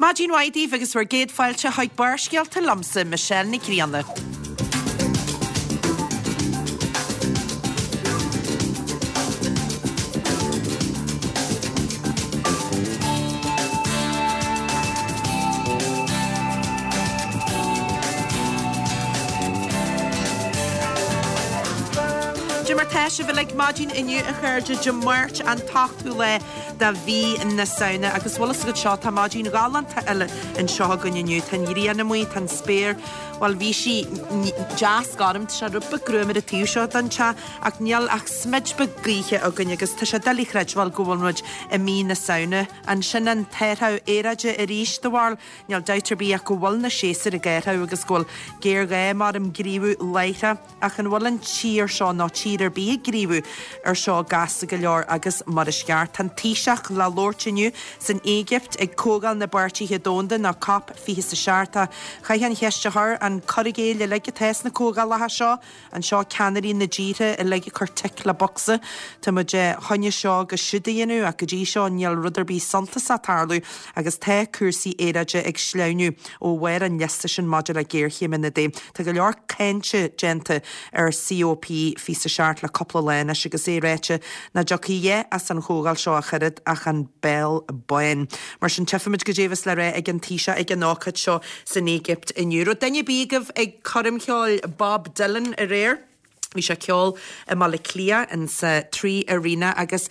Maidin mhaith daoibh agus bhur gcéad fáilte chuig Barrscéalta liomsa, Michelle Nic Grianna. Cad é mar tá sibh uilig maidin inniu a chairde, Dé Máirt an t-ochtú lá de mhí na Samhna agus bhfuil fhios agat seo, tá maidin ghalánta eile anseo againn inniu. Tá an ghrian amuigh, tá an spéir, bhuel bhí sí deas gorm, tá sé rud beag gruama ar an taobh seo den teach ach níl ach smid beag gaoithe againn agus tá sé doiligh a chreidbheáil go bhfuil muid i mí na Samhna. An sin an t-athrú aeráide arís, do bharúil? Níl dabht ar bith ach go bhfuil na séasúir ag athrú agus go bhfuil géarghá maram gníomhú láithreach. Ach an bhfuil an tír seo nó tír ar bith ag gníomhú ar seo gasta go leor agus mar is ceart? Tá an Taoiseach le labhairt inniu san Éigipt ag Comhdháil na bPáirtithe Domhanda nó Cop 27. Chaithfeá an cheist a chur, an cur i gcéill uilig atá sna comhdhálacha seo? An seo ceannairí na dtíortha uilig ag cur tic le bocsa? Tá muid chun é seo agus siúd a dhéanamh ach go dtí seo níl rud ar bith suntasach ag tarlú agus tá cúrsaí aeráide ag sleamhnú ó bharr an liosta sin maidir le géarchéimeanna de. Tá go leor cáinte déanta ar COP 27 le cúpla lá anois agus é ráite nach dtiocfaidh a dhath as an chomhdháil seo ach oiread ach an béal bán. Mar sin tchífimid goidé a bheas le rá ag an Taoiseach ag an ócáid seo san Éigipt inniu. Raibh duine ar bith agaibh ag coirm cheoil Bob Dylan aréir? Bhí sé ag ceol i mBaile Átha Cliath in sa 3 Arena agus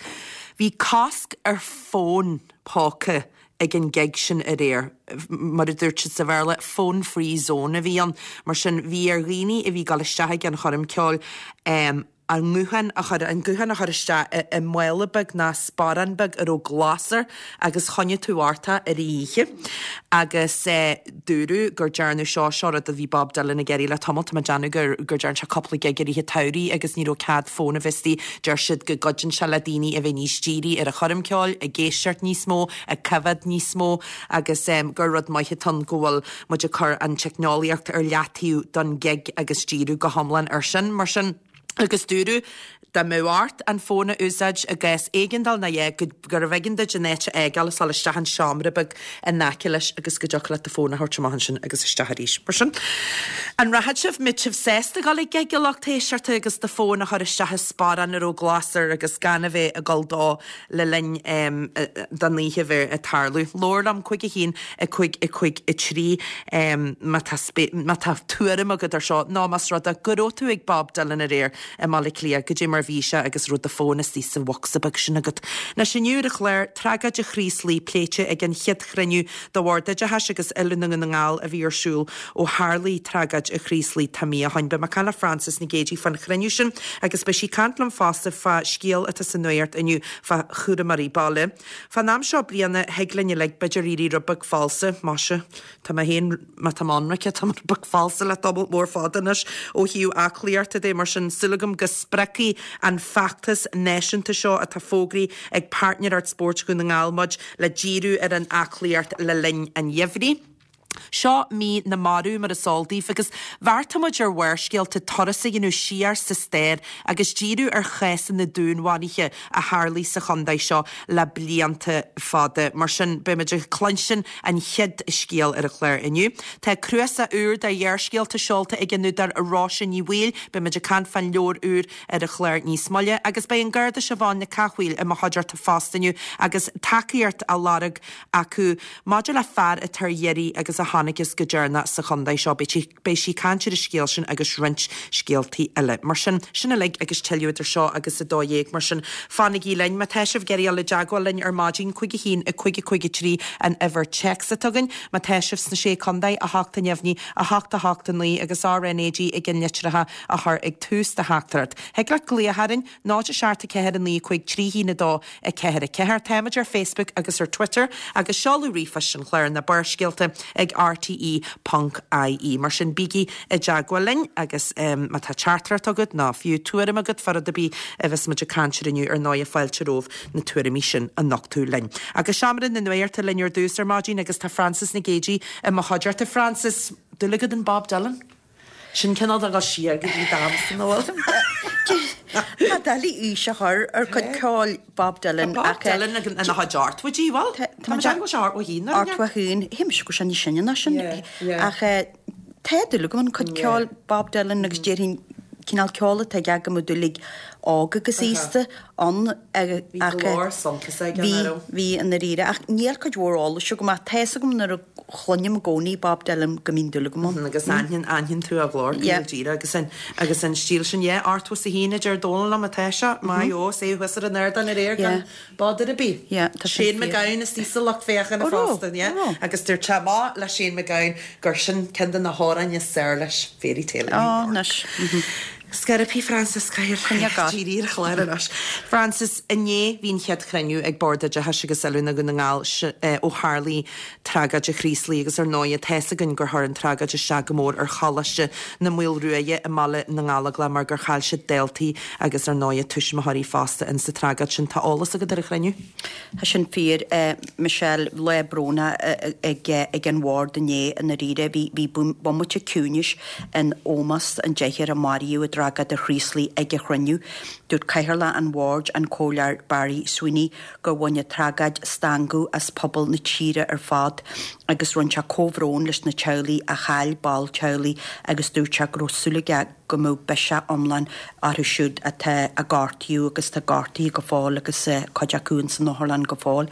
bhí cosc ar fón póca ag an gig sin aréir. Mar a dúirt siad sa Bhéarla, phone free zone a bhí ann. Mar sin bhí ar dhaoine a bhí ag dul isteach ag an choirm ceoil a nguthán a chur, an guthán a chur isteach i i mála beag ná sparán beag a raibh glas air agus choinnigh tú ort é ar an oíche. Agus dúradh gur dearnadh seo, seo rud a bhí Bob Dylan ag iarraidh le tamall, tá mé ag déanamh gur gur dearn sé cúpla gig i rith an tsamhraidh agus ní raibh cead fón a bheith istigh. Deir siad go gcuidíonn sé le daoine a bheith níos dírithe ar an choirm ceoil, ag éisteacht níos mó, ag coimhéad níos mó agus gur rud maith atá ann go bhfuil muid ag cur an teicneolaíocht ar leataobh don ghig agus díriú go hiomlán ar sin. Mar sin, agus dúradh dá mbeadh ort an fón a úsáid i gcás éigeandáil nó a dhath, gurbh éigean duit an áit a fhágáil is dul isteach in seomra beag in aice leis agus go dtiocfadh leat do fón a thabhairt amach ansin agus isteach arís. Mar sin, an rachadh sibh, mbeadh sibh sásta dul ag gig a lucht éisteachta agus do fón a chur isteach i sparán a raibh glas air agus gan a bheith ag dul dó le linn don oíche bheith ag tarlú. Labhair liom, 5 1 5 5 3 má tá má tá tuairim agat ar seo nó más rud é go raibh tú ag Bob Dylan aréir i mBaile Átha Cliath, goidé mar bhí sé agus raibh do fón istigh sa bhocsa beag sin agat. Anois inniu ar an chlár, tragóid an Chraoslaigh pléite ag an chéad chruinniú de Bhord Oideachais agus Oiliúna Dhún na nGall a bhí ar siúl ó tharlaigh tragóid an Chraoslaigh tá mí ó shoin. Beidh mé ag caint le Frances Nic Géadaigh fán chruinniú sin agus beidh sí ag caint liom fosta fá scéal atá sa nuacht inniu fá chúramóirí baile. Fán am seo bliana thig linn uilig b'fhéidir éirí rud beag falsa, maise, tá mé féin, má tá mé ionraic, tá mé rud beag falsa le tamall mór fada anois ó thaobh aclaíochta de, mar sin súil agam go spreagfaidh an feachtas náisiúnta seo atá fógraithe ag Páirtnéireacht Spóirt Dhún na nGall muid le díriú ar an aclaíocht le linn an gheimhridh. Seo mí na marbh, mar is eol daoibh, agus bheartaigh muid ar Bharrscéalta turas a dhéanamh siar sa stair agus díriú ar chásanna dúnmharuithe a tharlaigh sa chontae seo le blianta fada. Mar sin, beidh muid ag cluinstin an chéad scéal ar an chlár inniu. Tá cnuasach úr de ghearrscéalta seolta ag an údar Róise Ní Bhaoill. Beidh muid ag caint fán leabhar úr ar an chlár níos moille agus beidh an Garda Siobhán Nic Cathmhaoil i mo chuideachta fosta inniu agus tacaíocht á lorg acu maidir le fear atá ar iarraidh agus a chonacthas go deireanach sa chontae seo. Beidh sí ag caint ar an scéal sin agus roinnt scéaltaí eile. Mar sin, sin uilig agus tuilleadh idir seo agus 12. Mar sin, fanaigí linn. Má tá sibh ag iarraidh dul i dteagmháil linn ar maidin, 5 1 5 5 3 an uimhir téacs atá againn. Má tá sibh sna Sé Contae, 8 neamhní, 8 8 9 agus RnaG ag an litreacha a chur ag tús do theachtaireacht. Thig leat glaoch orainn, 0 7 4 9 5 3 1 2 4 4. Táimid ar Facebook agus ar Twitter agus seoladh ríomhphoist an chláir ná Barrscéalta ag rte ponc ie. Mar sin bígí i dteagmháil linn agus má tá teachtaireacht agat nó fiú tuairim agat fá rud ar bith a bheas muid ag caint air inniu ar ndóigh fáilte romhaibh na tuairimí sin a nochtadh linn. Agus Seomra na Nuachta linn ar dtús ar maidin agus tá Frances Nic Géadaigh i mo chuideachta. Frances, dúil agat in Bob Dylan? Sin cineál de dhul siar go dtí d'amsa, nó bhfuil? Tá doiligh aois a chur ar chuid ceoil Bob Dylan Tá Bob Dylan ina chuid ochtmhaidí, bhfuil? Tá mé ag déanamh go bhfuil sé 81 nó 81, shíl mise go raibh sé níos sine ná sin. Ach tá dúil agam in cuid ceoil Bob Dylan agus déarfainn cineál ceoil atá aige go mbeadh dúil ag óg agus aosta ann Bhí glór suntasach aige, nach raibh? Bhí, i ndáiríre. Ach níl cuid mhór eolais agam ach tá fhios agam nuair a chluinim i gcónaí Bob Dylan go mbíonn dúil agam ann. Agus aithníonn, aithníonn tú a ghlór, go díreach agus an, agus an stíl sin. Yeah, 81 a deir Dónal liom atá sé. Maith eo, is é thuas ar an ardán aréir gan bother ar bith. Yeah, tá sin Shane fíor. MacGowan istigh sa lucht féachana fosta, yeah. Agus dúirt sé amach le Shane MacGowan gur sin ceann de na hamhráin is fearr leis, Fairytale of New York. Ó, anois. Scaipthe, Frances, caithfear díriú ar an chlár anois. Frances, Inné bhí an chéad chruinniú ag Bord Oideachais agus Oiliúna Dhún na nGall ó tharlaigh tragóid an Chraoslaigh agus ar ndóighe tá fhios againn gur chuir an tragóid isteach go mór ar Choláiste na Maolruaidhe i mBaile na nGallóglach mar gur chaill siad daltaí agus ar ndóighe tuismitheoirí fosta in sa tragóid sin. Tá eolas agat ar an chruinniú? Tá sin fíor, Michelle. Lá brónach ag an bhord inné i ndáiríre. Bhí bomaite ciúnais in ómós an deichniúr a maraíodh i dtragóid an Chraoslaigh ag an chruinniú. Dúirt Cathaoirleach an Bhoird, an Comhairleoir Barry Sweeney, gur bhain an tragóid stangadh as pobal na tíre ar fad agus rinne sé comhbhrón leis na teaghlaigh a chaill ball teaghlaigh agus dúirt sé go raibh súil aige go mbeadh biseach iomlán orthu siúd atá a gortaíodh agus atá gortaithe go fóill agus cuid acu ins an otharlann go fóill.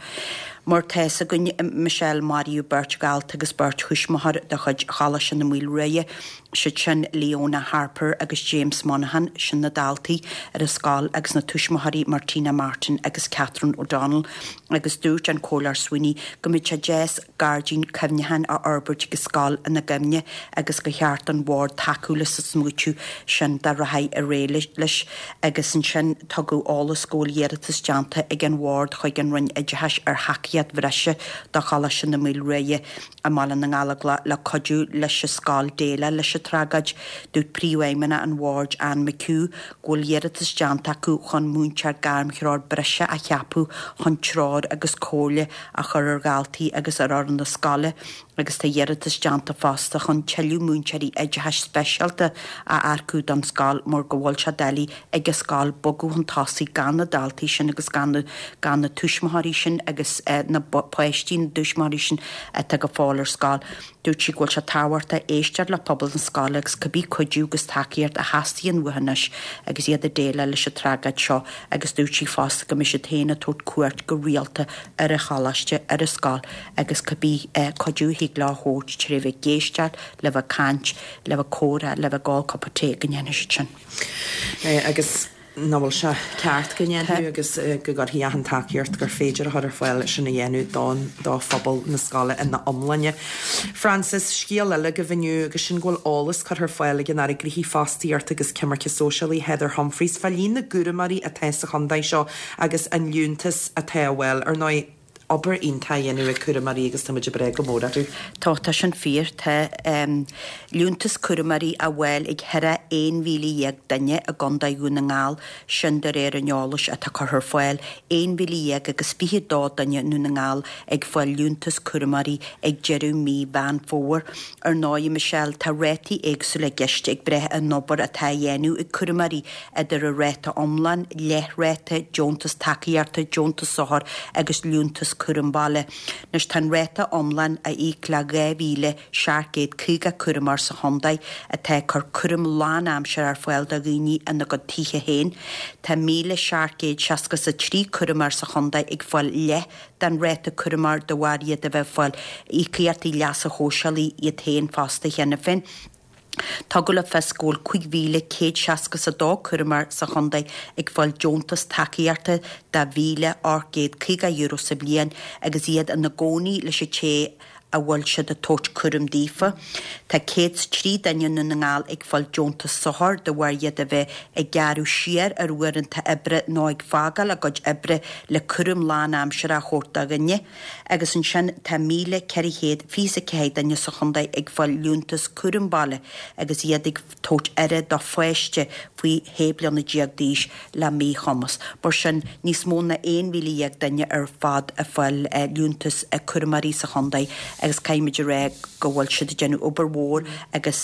Mar tá fhios againn, Michelle, maraíodh beirt dhalta agus beirt thuismitheoir de chuid Choláiste na Maoilruaidhe siad sin Leona Harper agus James Monaghan, sin na daltaí ar an scoil agus na tuismitheoirí Martina Martin agus Catherine O'Donnell agus dúirt an Comhairleoir Sweeney go mbeadh sé deas gairdín cuimhneacháin a fhorbairt ag an scoil ina gcuimhne agus gur cheart don bhord tacú leis an smaoitiú sin dá rachfaí ar aghaidh leis agus ansin tugadh eolas go bhfuil iarratas déanta ag an bhord chuig an Roinn Oideachais ar thacaíocht bhreise do Choláiste na Maoilruaidhe. i mBaile na nGallóglach le cuidiú leis an scoil déileáil leis an tragóid. Dúirt Príomhfheidhmeannach an Bhoird, Anne McHugh, go bhfuil iarratas déanta acu chun múinteoir gairmthreoir breise a cheapadh chun treoir agus comhairle a chur ar dhaltaí agus ar fhoireann na scoile agus tá iarratas déanta fosta chun tuilleadh múinteoirí oideachais speisialta a earcú don scoil mar go bhfuil sé doiligh ag an scoil bogadh chun tosaigh gan na daltaí sin agus gan na gan na tuismitheoirí sin agus na páistí na dtuismitheoirí sin atá go fóill ar scoil. Dúirt sí go bhfuil sé tábhachtach éisteacht le pobal na scoile agus cibé cuidiú agus tacaíocht a theastaíonn uathu anois agus iad ag déileáil leis an tragóid seo agus dúirt sí fosta go mbeidh siad féin ag tabhairt cuairt go rialta ar an choláiste, ar an scoil agus cibé cuidiú a thig leo a thabhairt tré bheith ag éisteacht, le bheith ag caint, le bheith ag comhrá, le bheith ag ól cupa tae go ndéanfaidh siad sin. Agus nach bhfuil sé ceart go ndéanfaí agus go gcuirfí achan tacaíocht gur féidir a chur ar fáil leis sin a dhéanamh don do phobal na scoile ina iomláine. Frances, Scéal eile agaibh inniu agus sin go bhfuil eolas curtha ar fáil ag an Aire Gnoithí Fostaíochta agus Coimirce Sóisialaí Heather Humphreys fá líon na gcúramóirí atá sa chontae seo agus an liúntas atá á bhfáil. Ar ndóigh, obair iontach á dhéanamh ag cúramóirí agus tá muid ag brath go mór orthu. Tá, tá sin fíor. Tá liúntas cúramóirí á bhfáil ag thar 11,000 duine i gContae Dhún na nGall, sin de réir an eolais atá curtha ar fáil. 11,000 agus 22 duine i nDún na nGall ag fáil liúntas cúramóirí ag deireadh mí Mheán Fómhair. Ar ndóigh, Michelle, tá rátaí éagsúla i gceist ag brath ar an obair atá á dhéanamh ag cúramóirí, idir an ráta iomlán, leathráta, deontas tacaíochta, deontas sochair agus liúntas cúram baile. Anois tá an ráta iomlán á íoc le 2,750 cúramóir sa chontae atá ag cur cúram lánaimseartha ar fáil do dhaoine ina gcuid tithe féin. Tá 1,763 cúramóir sa chontae ag fáil leath den ráta cúramóir de bharr iad a bheith ag fáil íocaíochtaí leasa shóisialaigh iad féin fosta cheana féin. Tugadh le fios go bhfuil 5,162 cúramóir sa chontae ag fáil deontas tacaíochta de €1,850 sa bhliain agus iad ina gcónaí leis an té a bhfuil siad ag tabhairt cúram daofa. Tá 103 duine i nDún na nGall ag fáil deontas sochair de bharr iad a bheith ag gearradh siar ar uaireanta oibre nó ag fágáil a gcuid oibre le cúram lánaimseartha a thabhairt do dhuine. Agus ansin tá 1,424 duine sa chontae ag fáil liúntas cúram baile agus iad ag tabhairt aire do pháiste faoi 16 bliana d'aois le míchumas. Mar sin, níos mó ná 11,000 duine ar fad ag fáil liúntas cúramóirí sa chontae agus caithfimid a rá go bhfuil siad ag déanamh obair mhór agus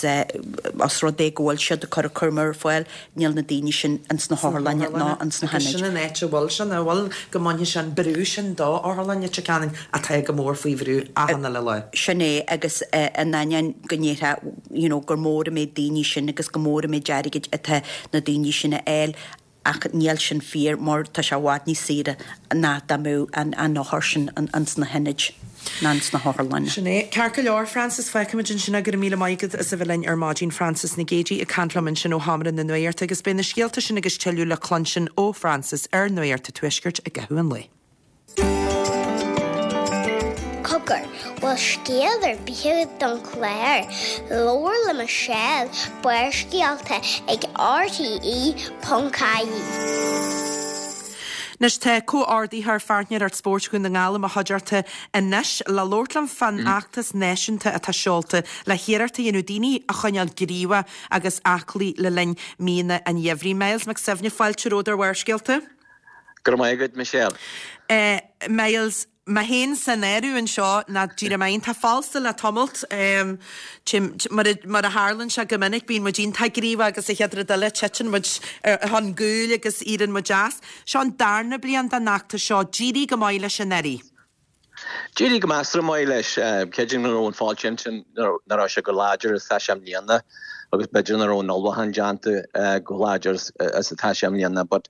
os rud é go bhfuil siad ag cur an cúram ar fáil, níl na daoine sin ins na hotharlanna ná ins na hionaid. Agus sin an áit a bhfuil sé, nach bhfuil, go mbainfidh sé an brú sin do Otharlann Leitir Ceanainn atá go mór faoi bhrú achan uile lá. Sin é agus in ainneoin go ndéarfá you know gur mór an méid daoine sin agus go mór an méid airgid atá na daoine sin a fháil, Ach níl sin fíor mar tá sé i bhfad níos saoire ná dá mbeadh an othar sin ins na hionaid ná ins na hotharlanna. Sin é. Ceart go leor, Frances, fágfaimid ansin é. Go raibh míle maith agat as a bheith linn ar maidin. Frances Nic Géadaigh ag caint liom ansin ó Sheomra na Nuachta agus beidh na scéalta sin agus tuilleadh le cluinstin ó Frances ar Nuacht an Tuaiscirt i gcaitheamh an lae. Cogar, bhfuil scéal ar bith agat don chlár? Labhair le Michelle, Barrscéalta ag RTÉ.ie. Anois tá comhordaitheoir Pháirtnéireacht Spóirt Dhún na nGall i mo chuideachta anois le labhairt liom fán fheachtas náisiúnta atá seolta le hiarracht a dhéanamh daoine a choinneáil gníomhach agus aclaí le linn míonna an gheimhridh. Myles Mac Suibhne, fáilte romhat ar Bharrscéalta. Go raibh maith agat, Michelle. Myles, mé féin san áireamh anseo, ná d'éirigh mé iontach falsa le tamalt. Mar a tharlaíonn sé go minic, bíonn muid iontach gníomhach agus an chéad rud eile, titeann muid chun gcúil agus éiríonn muid as. Seo an darna bliain den fheachtas seo. D'éirigh go maith leis anuraidh. D'éirigh go measartha maith leis. Creidim go raibh an fáilte ansin nach raibh sé chomh láidir is atá sé i mbliana agus b'fhéidir nach raibh an ullmhúchán déanta chomh láidir is atá sé i mbliana. But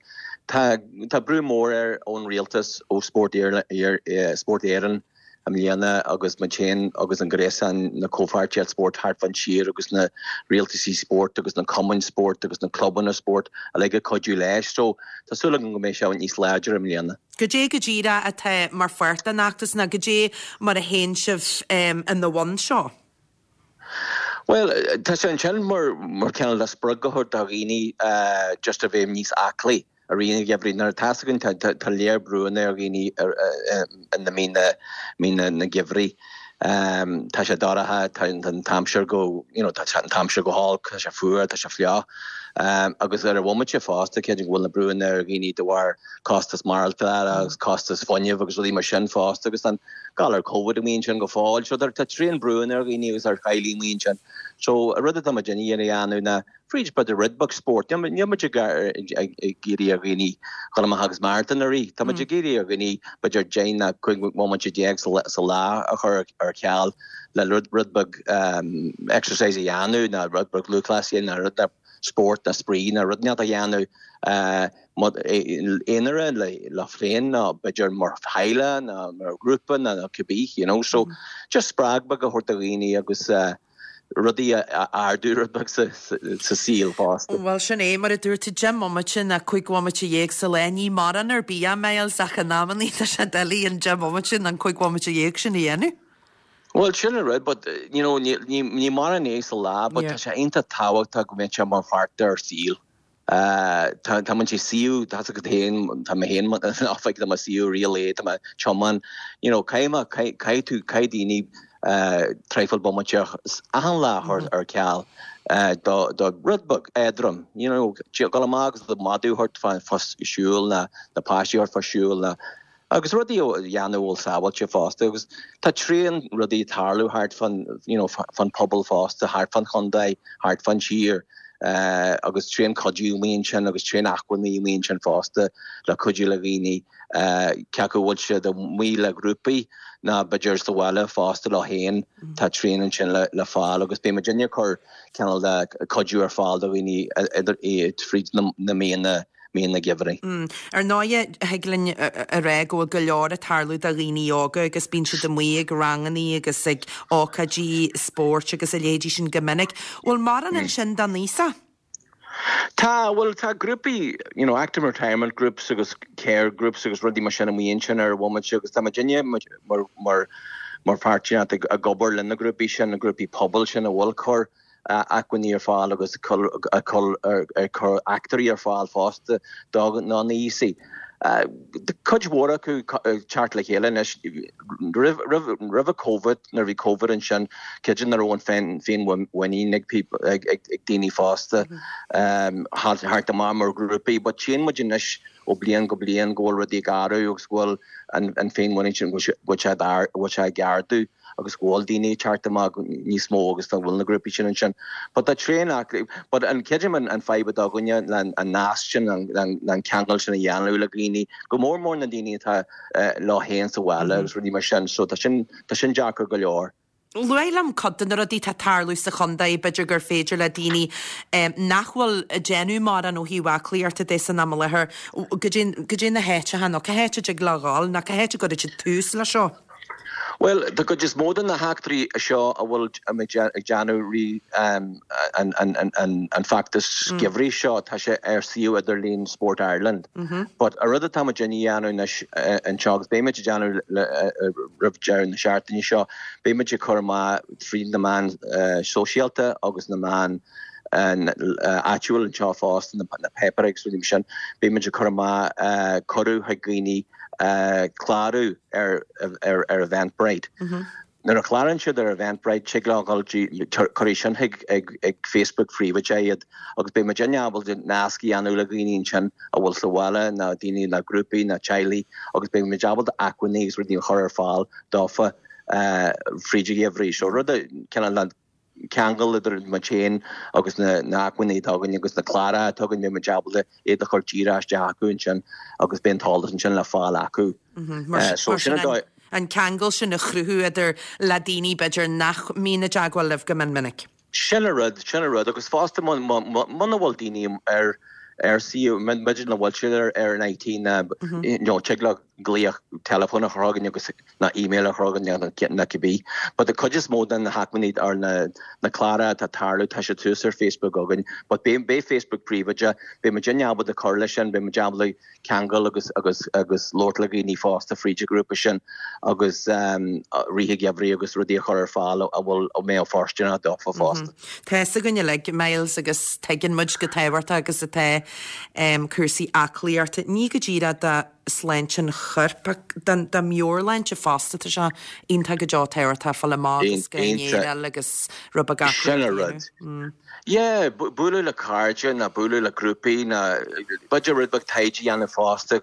tá tá brú mór air ón rialtas, ó Spórt Spórt Éireann i mbliana agus muid féin agus an gréasán, na comhpháirtíocht spóirt thart fán tír agus na rialtaisí spóirt agus na cumainn spóirt agus na clubanna spóirt uilig ag cuidiú leis. So tá súil agam go mbeidh sé níos láidre i mbliana. Goidé go díreach atá mar pháirt den fheachtas nó goidé mar a théann sibh ina bhun seo? Bhuel, tá sé ansin mar mar cineál de spreagadh a thabhairt do dhaoine just a bheith níos aclaí i rith an gheimhridh. Nuair atá a fhios againn tá tá léar brúanna ar dhaoine i na míonna míonna na geimhridh. Tá sé dorcha, tá an t-aimsir go you know tá an t-aimsir go holc, tá sé fuar, tá sé fliuch. Agus ar an bhomaite fosta, creidim go bhfuil na brúanna ar dhaoine de bharr costas maireachtála agus costas fuinnimh agus rudaí mar sin fosta agus an galar Covid amuigh ansin go fóill. So tá tréan brúanna ar dhaoine agus ar theaghlaigh amuigh ansin. So an rud atá muid ag iarraidh a dhéanamh ná fríd b'fhéidir rud beag spóirt. Níl muid ag iarraidh ar dhaoine dhul amach agus maratón a rith. Tá muid ag iarraidh ar dhaoine b'fhéidir 10 nó 15 bhomaite sa lá a chur ar ceal le rud beag exercise a dhéanamh nó rud beag lúthchleas a dhéanamh nó rud beag spórt nó spraoi nó rud inteacht a dhéanamh aonair leo féin nó b'fhéidir mar theaghlach nó mar ghrúpa nó cibé you know. So just spreag beag a thabhairt do dhaoine agus rudaí a ardú rud beag sa saol fosta. Bhuel, sin é, mar a dúirt tú, 10 mbomaite nó 15 bhomaite sa lá, ní mórán ar bith é, Myles, ach in amannaí tá sé doiligh an 10 mbomaite nó an 15 bhomaite sin a dhéanamh. Bhuel, sin an rud, but, you know, ní mórán é sa lá, but tá sé iontach tábhachtach go mbeadh sé mar pháirt dár saol. Tá muid ag suí, tá a fhios agat féin, tá mé féin in oifig, tá mé ag suí i rith an lae, tá mé ag tiomáint, you know, caithfidh mé, caithfidh tú, caithfidh daoine traidhfil bomaite achan lá a chur ar ceal do do rud beag éadrom, you know, dul amach agus do mhadadh a thabhairt fá siúl nó na páistí a thabhairt fá siúl nó Agus rudaí a dhéanamh a bhfuil sábháilte fosta agus tá tréan rudaí ag tarlú thart fán you know fán pobal fosta, thart fán chontae, thart fán tír agus tréan cuidiú amuigh ansin agus tréan acmhainní amuigh ansin fosta le cuidiú le dhaoine cé acu a bhfuil siad amuigh le grúpaí nó b'fhéidir sa bhaile fosta leo féin tá tréan ansin le fáil agus beidh muidinne ag cur cineál de cuidiú ar fáil do dhaoine fríd na míonna míonna geimhridh. Ar ndóighe, thig linn a rá go bhfuil go leor ag tarlú do dhaoine óga agus bíonn siad amuigh ag rangannaí agus ag ócáidí spóirt agus a leithéidí sin go minic. Bhfuil mórán ansin don aosach? Tá, bhuel tá grúpaí, you know, active retirement groups agus care groups agus rudaí mar sin amuigh ansin ar an bhomaite agus tá muidinne mar mar mar pháirtíocht ag ag obair le na grúpaí sin, na grúpaí pobail sin a bhfuil ag cur acmhainní ar fáil agus ag cur eachtraí ar fáil fosta do na haosaigh. Cuid mhór acu ag teacht le chéile anois. Roimh Covid, nuair a bhí Covid ansin, creidim nach raibh an féinmhuinín ag daoine fosta theacht amach mar ghrúpaí but tchíonn muid anois ó bliain go bliain go bhfuil rudaí ag athrú agus go bhfuil an féinmhuinín sin, go bhfuil sé ag ardú. agus go bhfuil daoine ag teacht amach níos mó agus go bhfuil na grúpaí sin ansin. But tá tréan acu, but an creidim an an fadhb atá againne le an nasc sin, an an ceangal sin a dhéanamh le dhaoine, go mór mór na daoine atá leo féin sa bhaile agus rudaí mar sin, so tá sin tá sin deacair go leor. Luaigh liom cuid de na rudaí atá ag tarlú sa chontae, b'fhéidir gur féidir le daoine nach bhfuil ag déanamh mórán ó thaobh aclaíochta de san am i láthair, goidé na háiteacha nó cá háit a dtig leo dhul nó cá háit a gcuirfidh siad tús leis seo? Bhuel, den chuid is mó de na heachtraí seo a bhfuil muid ag déanamh rith an feachtas geimhridh seo, tá sé ar suíomh idirlín Sport Ireland. But an rud atá muid a dhéanamh anois anseo, agus beidh muid ag déanamh roimh deireadh na seachtaine seo, Beidh muid ag cur amach fríd na meáin shóisialta agus na meáin áitiúil anseo fosta, na páipéir agus rudaí mar sin, beidh muid ag cur amach cuireadh chuig dhaoine clárú ar ar Eventbrite. Nuair a chlárann siad ar Eventbrite, tig leo dhul cuirfidh sin chuig ag Facebook phríobháideach iad agus beidh muid ábalta nasc a dhéanamh le dhaoine ansin a bhfuil sa bhaile nó daoine nó grúpaí nó teaghlaigh agus beidh muid ábalta acmhainní agus rudaí a chur ar fáil dófa fríd an gheimhreadh. So rud a cineál ceangal idir muid féin agus na hacmhainní atá againn agus na cláracha atá againn, beidh muid ábalta iad a chur díreach isteach acu ansin agus beidh an t-eolas ansin le fáil acu. So sin an dóigh. An ceangal sin a chruthú idir le daoine b'fhéidir nach mbíonn i dteagmháil libh go mion minic. Sin an rud, sin an rud. Agus fosta muna bhfuil daoine ar ar suíomh, b'fhéidir nach bhfuil siad ar ar an IT ná you know tig leo glaoch teileafóin a chur chugainn agus ná email a chur chugainn ná cibé. But the cuid is mó de na hacmhainní ar na na cláracha atá ag tarlú tá siad suas ar Facebook againn. But beidh beidh Facebook príobháideach, beidh muidinne ábalta cur leis sin, beidh muid ábalta ceangal agus agus agus labhairt le dhaoine fosta fríd an ghrúpa sin agus rith an gheimhridh agus rudaí a chur ar fáil a bhfuil a mbeadh fóirsteanach dófa fosta. Tá fhios againn uilig, Myles, agus tuigeann muid chomh tábhachtach agus atá cúrsaí aclaíochta, ní go díreach do shláinte an choirp ach don do mheabhairshláinte fosta. Tá sé iontach go deo tábhachtach fáil amach agus go n-éireáil agus rud beag Sin an rud. Yeah, bualadh le cairde nó bualadh le grúpaí nó b'fhéidir rud beag taighde a dhéanamh fosta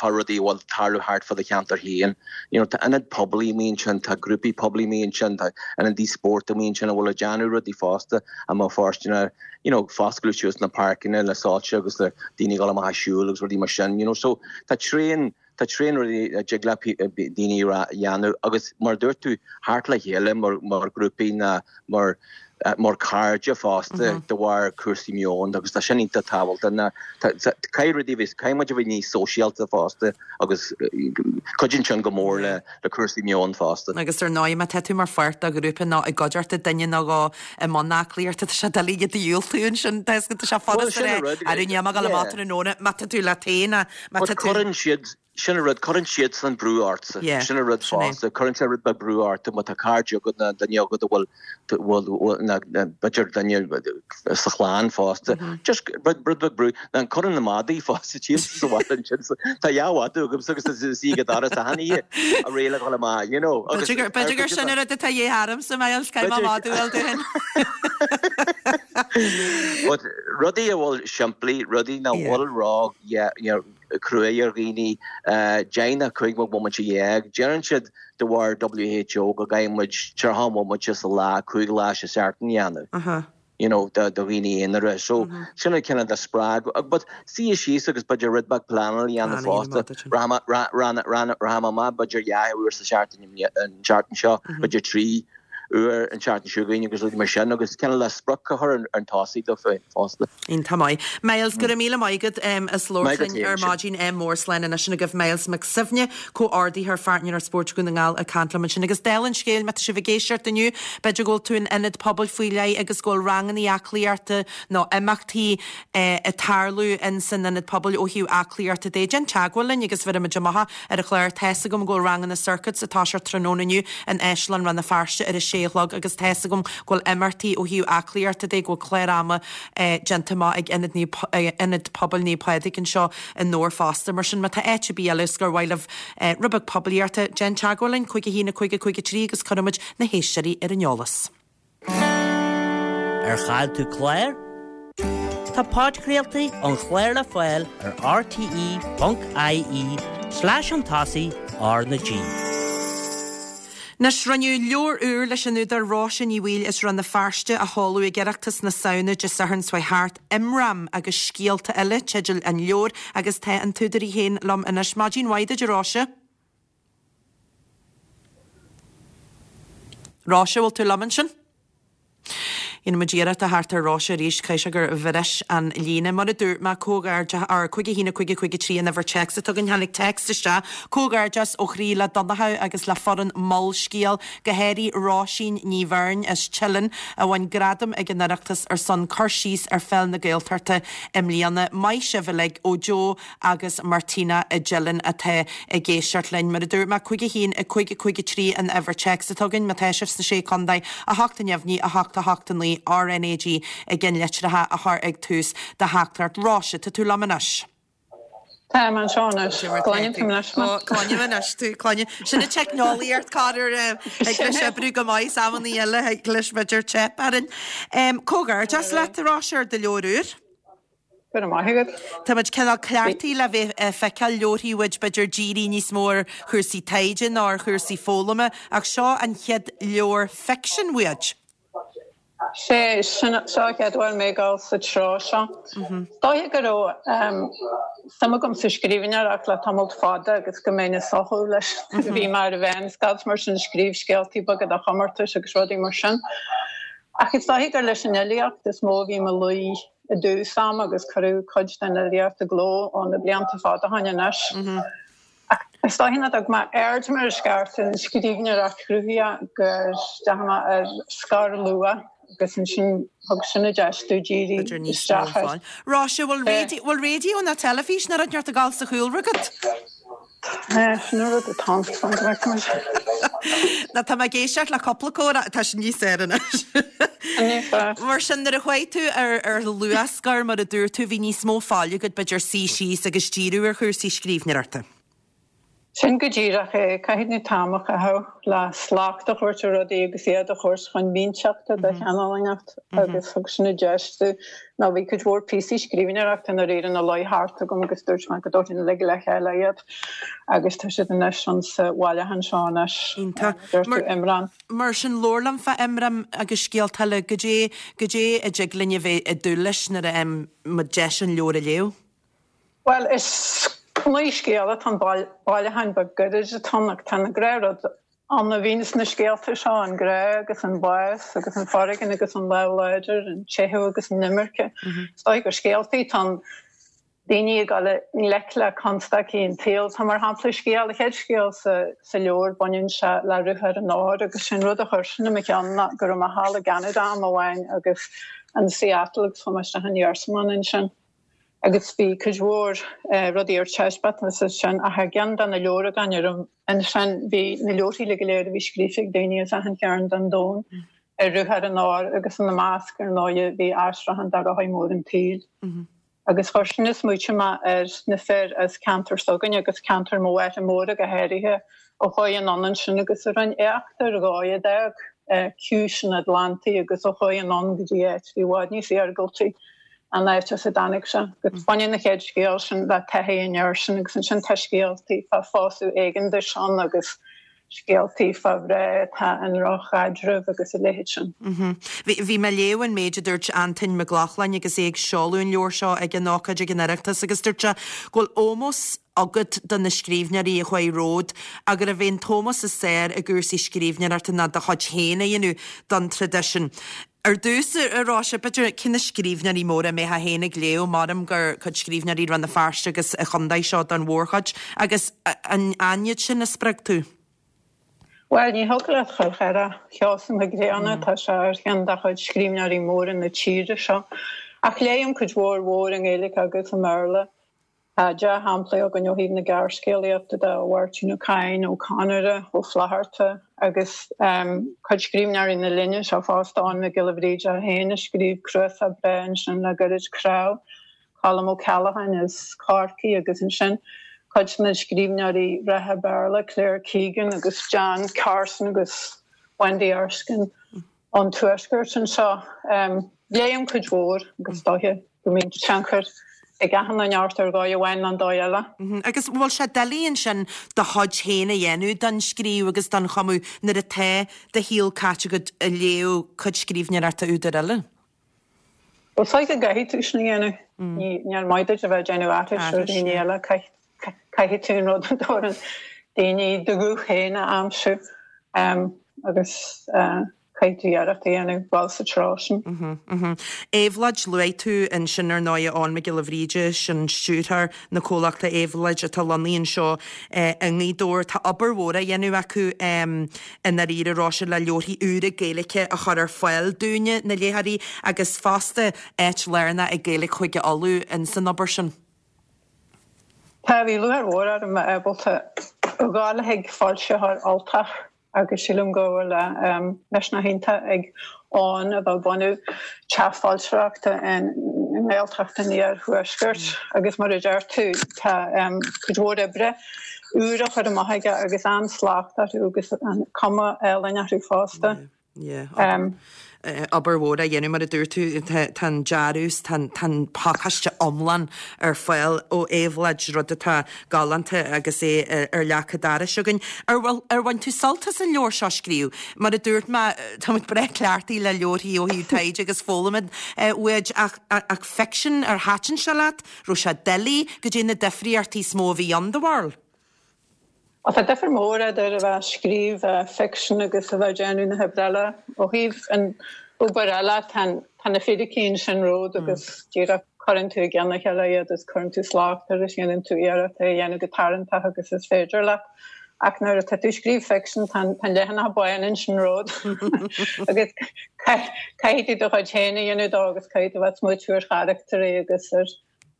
fá rudaí a bhfuil ag tarlú thart fá do cheantar féin. You know, tá ionaid pobail amuigh ansin, tá grúpaí pobail amuigh ansin, tá ionadaí spóirt amuigh ansin a bhfuil ag déanamh rudaí fosta a mbeadh fóirsteanach, you know, foscladh suas na páirceanna le soilse agus le daoine ag dul amach ag siúl agus rudaí mar sin, you know. So tá tréan, Tá tréan rudaí a dtig le daoine a dhéanamh agus mar a dúirt tú, theacht le chéile mar ghrúpaí ná mar mar chairde fosta de bharr cúrsaí meoin agus tá sin iontach tábhachtach ná caithfidh rudaí a bheith, caithfidh muid a bheith níos sóisialta fosta agus cuidíonn sin go mór le le cúrsaí meoin fosta. Agus ar ndóigh má tá tú mar pháirt de ghrúpa nó i gcuideachta duine nó dhó i mbun aclaíochta tá sé doiligh iad a dhiúltú ansin, tá sé furasta a rá, arú níl mé ag dul amach tráthnóna má tá tú leat féin Má tá tú. Cuireann siad, sin an rud, cuireann siadsan brú ortsa. Yeah, sin an rud fosta. Cuireann sé rud beag brú ort má tá cairde agat nó duine agat a bhfuil, bhfuil, nó b'fhéidir duine sa chlann fosta. Just rud, rud beag brú. Ná cuireann na madaí fosta síos sa bhaile ansin. So tá dhá mhadadh agamsa agus is í ag an doras achan oíche ag rá le dhul amach, you know. Agus B'fhéidir gur, b'fhéidir gur sin an rud atá de dhíth ormsa, Myles, caithfidh mé madadh a fháil domh féin. But rudaí a bhfuil simplí, rudaí nach bhfuil ró cruaidh ar dhaoine, 10 nó 15 bhomaite. Deireann siad de bharr WHO go gcaithfidh muid 30 bhomaite sa lá, 5 lá sa seachtain a dhéanamh, you know, do dhaoine aonair. So sin an cineál de spreagadh. But suí síos agus b'fhéidir rud beag pleanáil a dhéanamh fosta. Rachaidh mé amach b'fhéidir dhá uair sa seachtain an tseachtain seo, b'fhéidir trí. uair an tseachtain seo chugainn agus rudaí mar sin agus cineál le sprioc a chur chun tosaigh dóibh féin fosta. Iontach maith. Myles, go raibh míle maith agat as labhairt linn ar maidin. Ádh mór slán anois agaibh Myles Mac Suibhne, Comhordaitheoir Pháirtnéireacht Spóirt Dhún na nGall ag caint liom ansin. Agus dála an scéil, má tá sibh ag éisteacht inniu, b'fhéidir go bhfuil tú in ionad pobail faoi leith agus go bhfuil ranganna aclaíochta nó imeachtaí ag tarlú in san ionad pobail ó thaobh aclaíochta de, déan teagmháil linn agus bhéarfaidh muid amach ar an chlár. Tá's agam go bhfuil ranganna circuits ag toiseacht tráthnóna inniu in Áislann Rann na Feirste ar a sé a chlog agus tá's agam go bhfuil imeachtaí ó thaobh aclaíochta de, go bhfuil clár ama déanta amach ag Ionad Naomh, Ionad Pobail Naomh Pádraig anseo i nDobhar fosta. Mar sin má tá áit ar bith eile is gur mhaith libh rud beag poiblíochta, déan teagmháil linn, 5 1 5 5 3 agus cuirfidh muid na héisteoirí ar an eolas. Ar chaill tú clár? Tá podchraoltaí an chláir le fáil ar rte.ie slash chun tosaigh R na G. Anois, rinneadh leabhar úr leis an údar Róise Ní Bhaoill as Rann na Feirste a sheoladh ag Oireachtas na Samhna Dé Sathairn seo thart, Imram agus Scéalta Eile teideal an leabhair agus tá an t-údar í féin liom anois. Maidin mhaith duit a Róise. Róise, bhfuil tú liom ansin? Dhéanfaidh muid iarracht a theacht ar Róise arís, caithfidh sé gur bhris an líne. Mar a dúirt mé, comhghairdeas, or 5 1 5 5 3 an uimhir téacs atá againn. Tháinig téacs isteach, Comhghairdeas ó chroí le Donnchadh agus le foireann Molscéal, go háirithe Róisín Ní Bheirn as Teileann a bhain gradam ag an Oireachtas ar son cur síos ar pheil na Gaeltachta i mbliana. Maith sibh uilig ó Joe agus Martina i dTeileann atá ag éisteacht linn. Mar a dúirt mé, 5 1 5 5 3 an uimhir téacs atá againn má tá sibh sna Sé Chontae, 8 neamhní, 8 8 9 RnaG i gceannlitreacha a chur ag tús do theachtaireacht. Róise, tá tú liom anois? Táim anseo anois. Cluinim tú anois mé. Cluinim anois tú. Cluinim. Sin an teicneolaíocht, corruair thig leis oibriú go maith, is amannaí eile thig leis b'fhéidir teip orainn. Comhghairdeas leat, a Róise, ar do leabhar úr. Go raibh maith agat. Tá muid cineál cleachtaithe le bheith ag feiceáil leabharthaí uait b'fhéidir dírithe níos mó ar chúrsaí taighde ná ar chúrsaí foghlama ach seo an chéad leabhar ficsin uait. Sé, sin, seo an chéad uair mé ag dul sa treo seo. Is dóiche go raibh suim agam sa scríbhneoireacht le tamalt fada agus go mbeinn ag socrú leis nuair a bhí mé ar an mheánscoil is mar sin ag scríobh scéaltaí beaga do chomórtais agus rudaí mar sin. Ach is dóiche gur leis an fhilíocht is mó a bhí mo luí i dtús ama agus cuireadh cuid den fhilíocht i gcló ó na blianta fada ó shin anois. Ach is dóiche nach dtug mé aird mar is ceart ar an scríbhneoireacht chruthaitheach go ndeachaigh mé ar scor luath agus ansin thug sin an deis domh díriú isteach air. Róise, bhfuil raidió ná teilifís ná rud inteacht ag gabháil sa chúlra agat? Sin an rud atá ann, fan go bhfeicfidh muid. Nó tá mé ag éisteacht le cúpla comhrá, tá sé níos fearr anois. Níos fearr. Mar sin, nuair a chuaigh tú ar ar luathscor, mar a dúirt tú, bhí níos mó fáil agat, b'fhéidir, suí síos agus díriú ar chúrsaí scríbhneoireachta. Sin go díreach é. Caithfidh tú t-am a chaitheamh le slacht a thabhairt ar rudaí agus iad a thabhairt chun mínteachta de chineál inteacht agus thug sin an deis domh nó bhí cuid mhór píosaí scríbhneoireachta i ndáiríre ina luí thart agam agus dúirt mé go dtabharfainn uilig le chéile iad agus tá siad anois insa bhailiúchán seo anois. Iontach. Dúirt tú Imram. Mar sin, labhair liom fá Imram agus scéalta eile. Goidé, goidé a dtig linn a bheith ag dúil leis nuair a fhaigheann muid deis an leabhar a léamh? Bhuel, is naoi scéal atá ann, bailiúchán beag gairid atá ann ach tá na gnáthrud ann a bhíonn sna scéalta seo, an grá agus an bás agus an foréigean agus an lámh láidir, an teitheadh agus an imirce. Is dóigh gur scéaltaí atá ann, daoine ag dul i ngleic le constaicí an tsaoil. Tá mar shampla scéal, an chéad scéal sa leabhar, baineann sé le ruathar an óir agus sé'n rud a chuir sin i mo cheann ná go raibh mé thall i gCeanada am amháin agus in Seattle agus chuaigh mé isteach in iarsmalann ansin. Agus bhí cuid mhór rudaí ar taispeántas ansin ach i gceann de na leabhragáin a raibh ansin bhí na leabharthaí uilig go léir a bhí scríofa ag daoine as achan chearn den domhan ar ruathar an óir agus ina measc ar ndóighe bhí aistriúchán de Rothaí Móra an tSaoil. Agus chuir sin ag smaoitiú mé ar na fir as ceantar s'againne agus ceantar mo mháthar móire go háirithe a chuaigh anonn ansin agus a rinne éacht ar dhóigh a d'fhág ciumhais an Atlantaigh agus a chuaigh anonn go dtí áit a bhí i bhfad níos iargúltaí an áit as a dtáinig sé. Agus baineann an chéad scéal sin le taithí an fhir sin agus ansin tá scéaltaí fá phósadh éigeantais ann agus scéaltaí fá mhná atá i ndroch-chaidreamh agus a leithéid sin. Bhí mé ag léamh an méid a dúirt Antain Mac Lochlainn agus é ag seoladh an leabhair seo ag an ócáid ag an Oireachtas agus dúirt sé go bhfuil ómós agat do na scríbhneoirí a chuaigh romhat ach gurbh é an t-ómós is fearr i gcúrsaí scríbhneoireachta ná do chuid féin a dhéanamh don traidisiún. Ar dtús, a Róise, b'fhéidir, cé na scríbhneoirí móra a mbeifeá féin ag léamh, maram gur cuid scríbhneoirí Rann na Feirste agus an chontae seo don mhórchuid, agus an iad sin a spreag tú? Bhuel, ní thig leat chur thar Sheosamh Mac Grianna, tá sé ar cheann de chuid scríbhneoirí móra na tíre seo. Ach léim cuid mhór mhór i nGaeilge agus i mBéarla. Tá dea-shamplaí againn ó thaobh na gearrscéalaíochta de ó Mháirtín Ó Cadhain, Ó Conaire, Ó Flatharta agus cuid scríbhneoirí na linne seo fosta, Eoin Mac Giolla Bhríde féin a scríobh cnuasach breá ansin le gairid Cnámh, Colm Ó Ceallacháin as Corcaigh agus ansin cuid de na scríbhneoirí reatha Béarla, Claire Keegan agus Jan Carson agus Wendy Erskine. ón tuaisceart anseo. Léim cuid mhór agus is dóiche go mbíonn tionchar ag achan duine ort ar dhóigh amháin nó an dóigh eile. Agus bhfuil sé doiligh ansin do chuid féin a dhéanamh den scríobh agus den chumadh nuair atá do shaol caite agat ag léamh cuid scríbhneoireachta údair eile? Bhuel, is dóigh go gcaithfidh tú sin a dhéanamh. Níor mhaith duit a bheith ag déanamh aithris ar dhaoine eile. Caithfidh tú an rud a dtabharann daoine do ghuth féin a aimsiú agus caithfidh tú iarracht a dhéanamh dul sa treo sin. Éabhlóid, luaigh tú ansin ar ndóigh Eoghan Mac Giolla Bhríde, sin stiúrthóir na comhlachta Éabhlóid atá lonnaithe anseo i nGaoth Dobhair. Tá obair mhór á dhéanamh acu i ndáiríre, a Róise, le leabharthaí úra Gaeilge a chur ar fáil dúinne, na léitheoirí, agus fosta áit lárnach ag Gaeilge Chúige Uladh in san obair sin. Tá, bhí lúcháir mhór orm a bheith ábalta a ghabháil chuig foilsitheoir Ultach agus sílim go bhfuil misneach iontach ag Eoghan a bheith ag bunú teach foilsitheoireachta i nGaeltacht an Iarthuaiscirt agus mar a deir tú tá cuid mhór oibre úr á chur amach aige agus an-slacht orthu agus cuma álainn orthu fosta. Yeah. Obair mhór á dhéanamh mar a dúirt tú, tá an dearadh 's tá an pacáiste iomlán ar fáil ó Éabhlóid, rud atá galánta agus é ar leac an dorais againn. Ar bhfuil, ar bhain tú sult as an leabhar seo a scríobh? Mar a dúirt mé, tá muid breá cleachtaithe le leabharthaí ó thaobh taighde agus foghlama uaidh ach, ach ficsean, ar thaitin sé leat? Raibh sé doiligh? Goidé na difríochtaí is mó a bhí ann, do bharúil? Bhuel, tá difear mór idir a bheith ag scríobh ficsean agus a bheith ag déanamh na hoibre eile. Ó thaobh an obair eile, tá na fíricí ansin romhat agus díreach cuireann tú i gceann a chéile iad agus cuireann tú slacht air agus déanann tú iarracht é a dhéanamh chomh tarraingteach agus is féidir leat. Ach nuair atá tú ag scríobh ficsean, tá an leathanach bán ansin romhat agus caithfidh tú do chuid féin a dhéanamh dó agus caithfidh tú a bheith ag smaoitiú ar charachtairí agus ar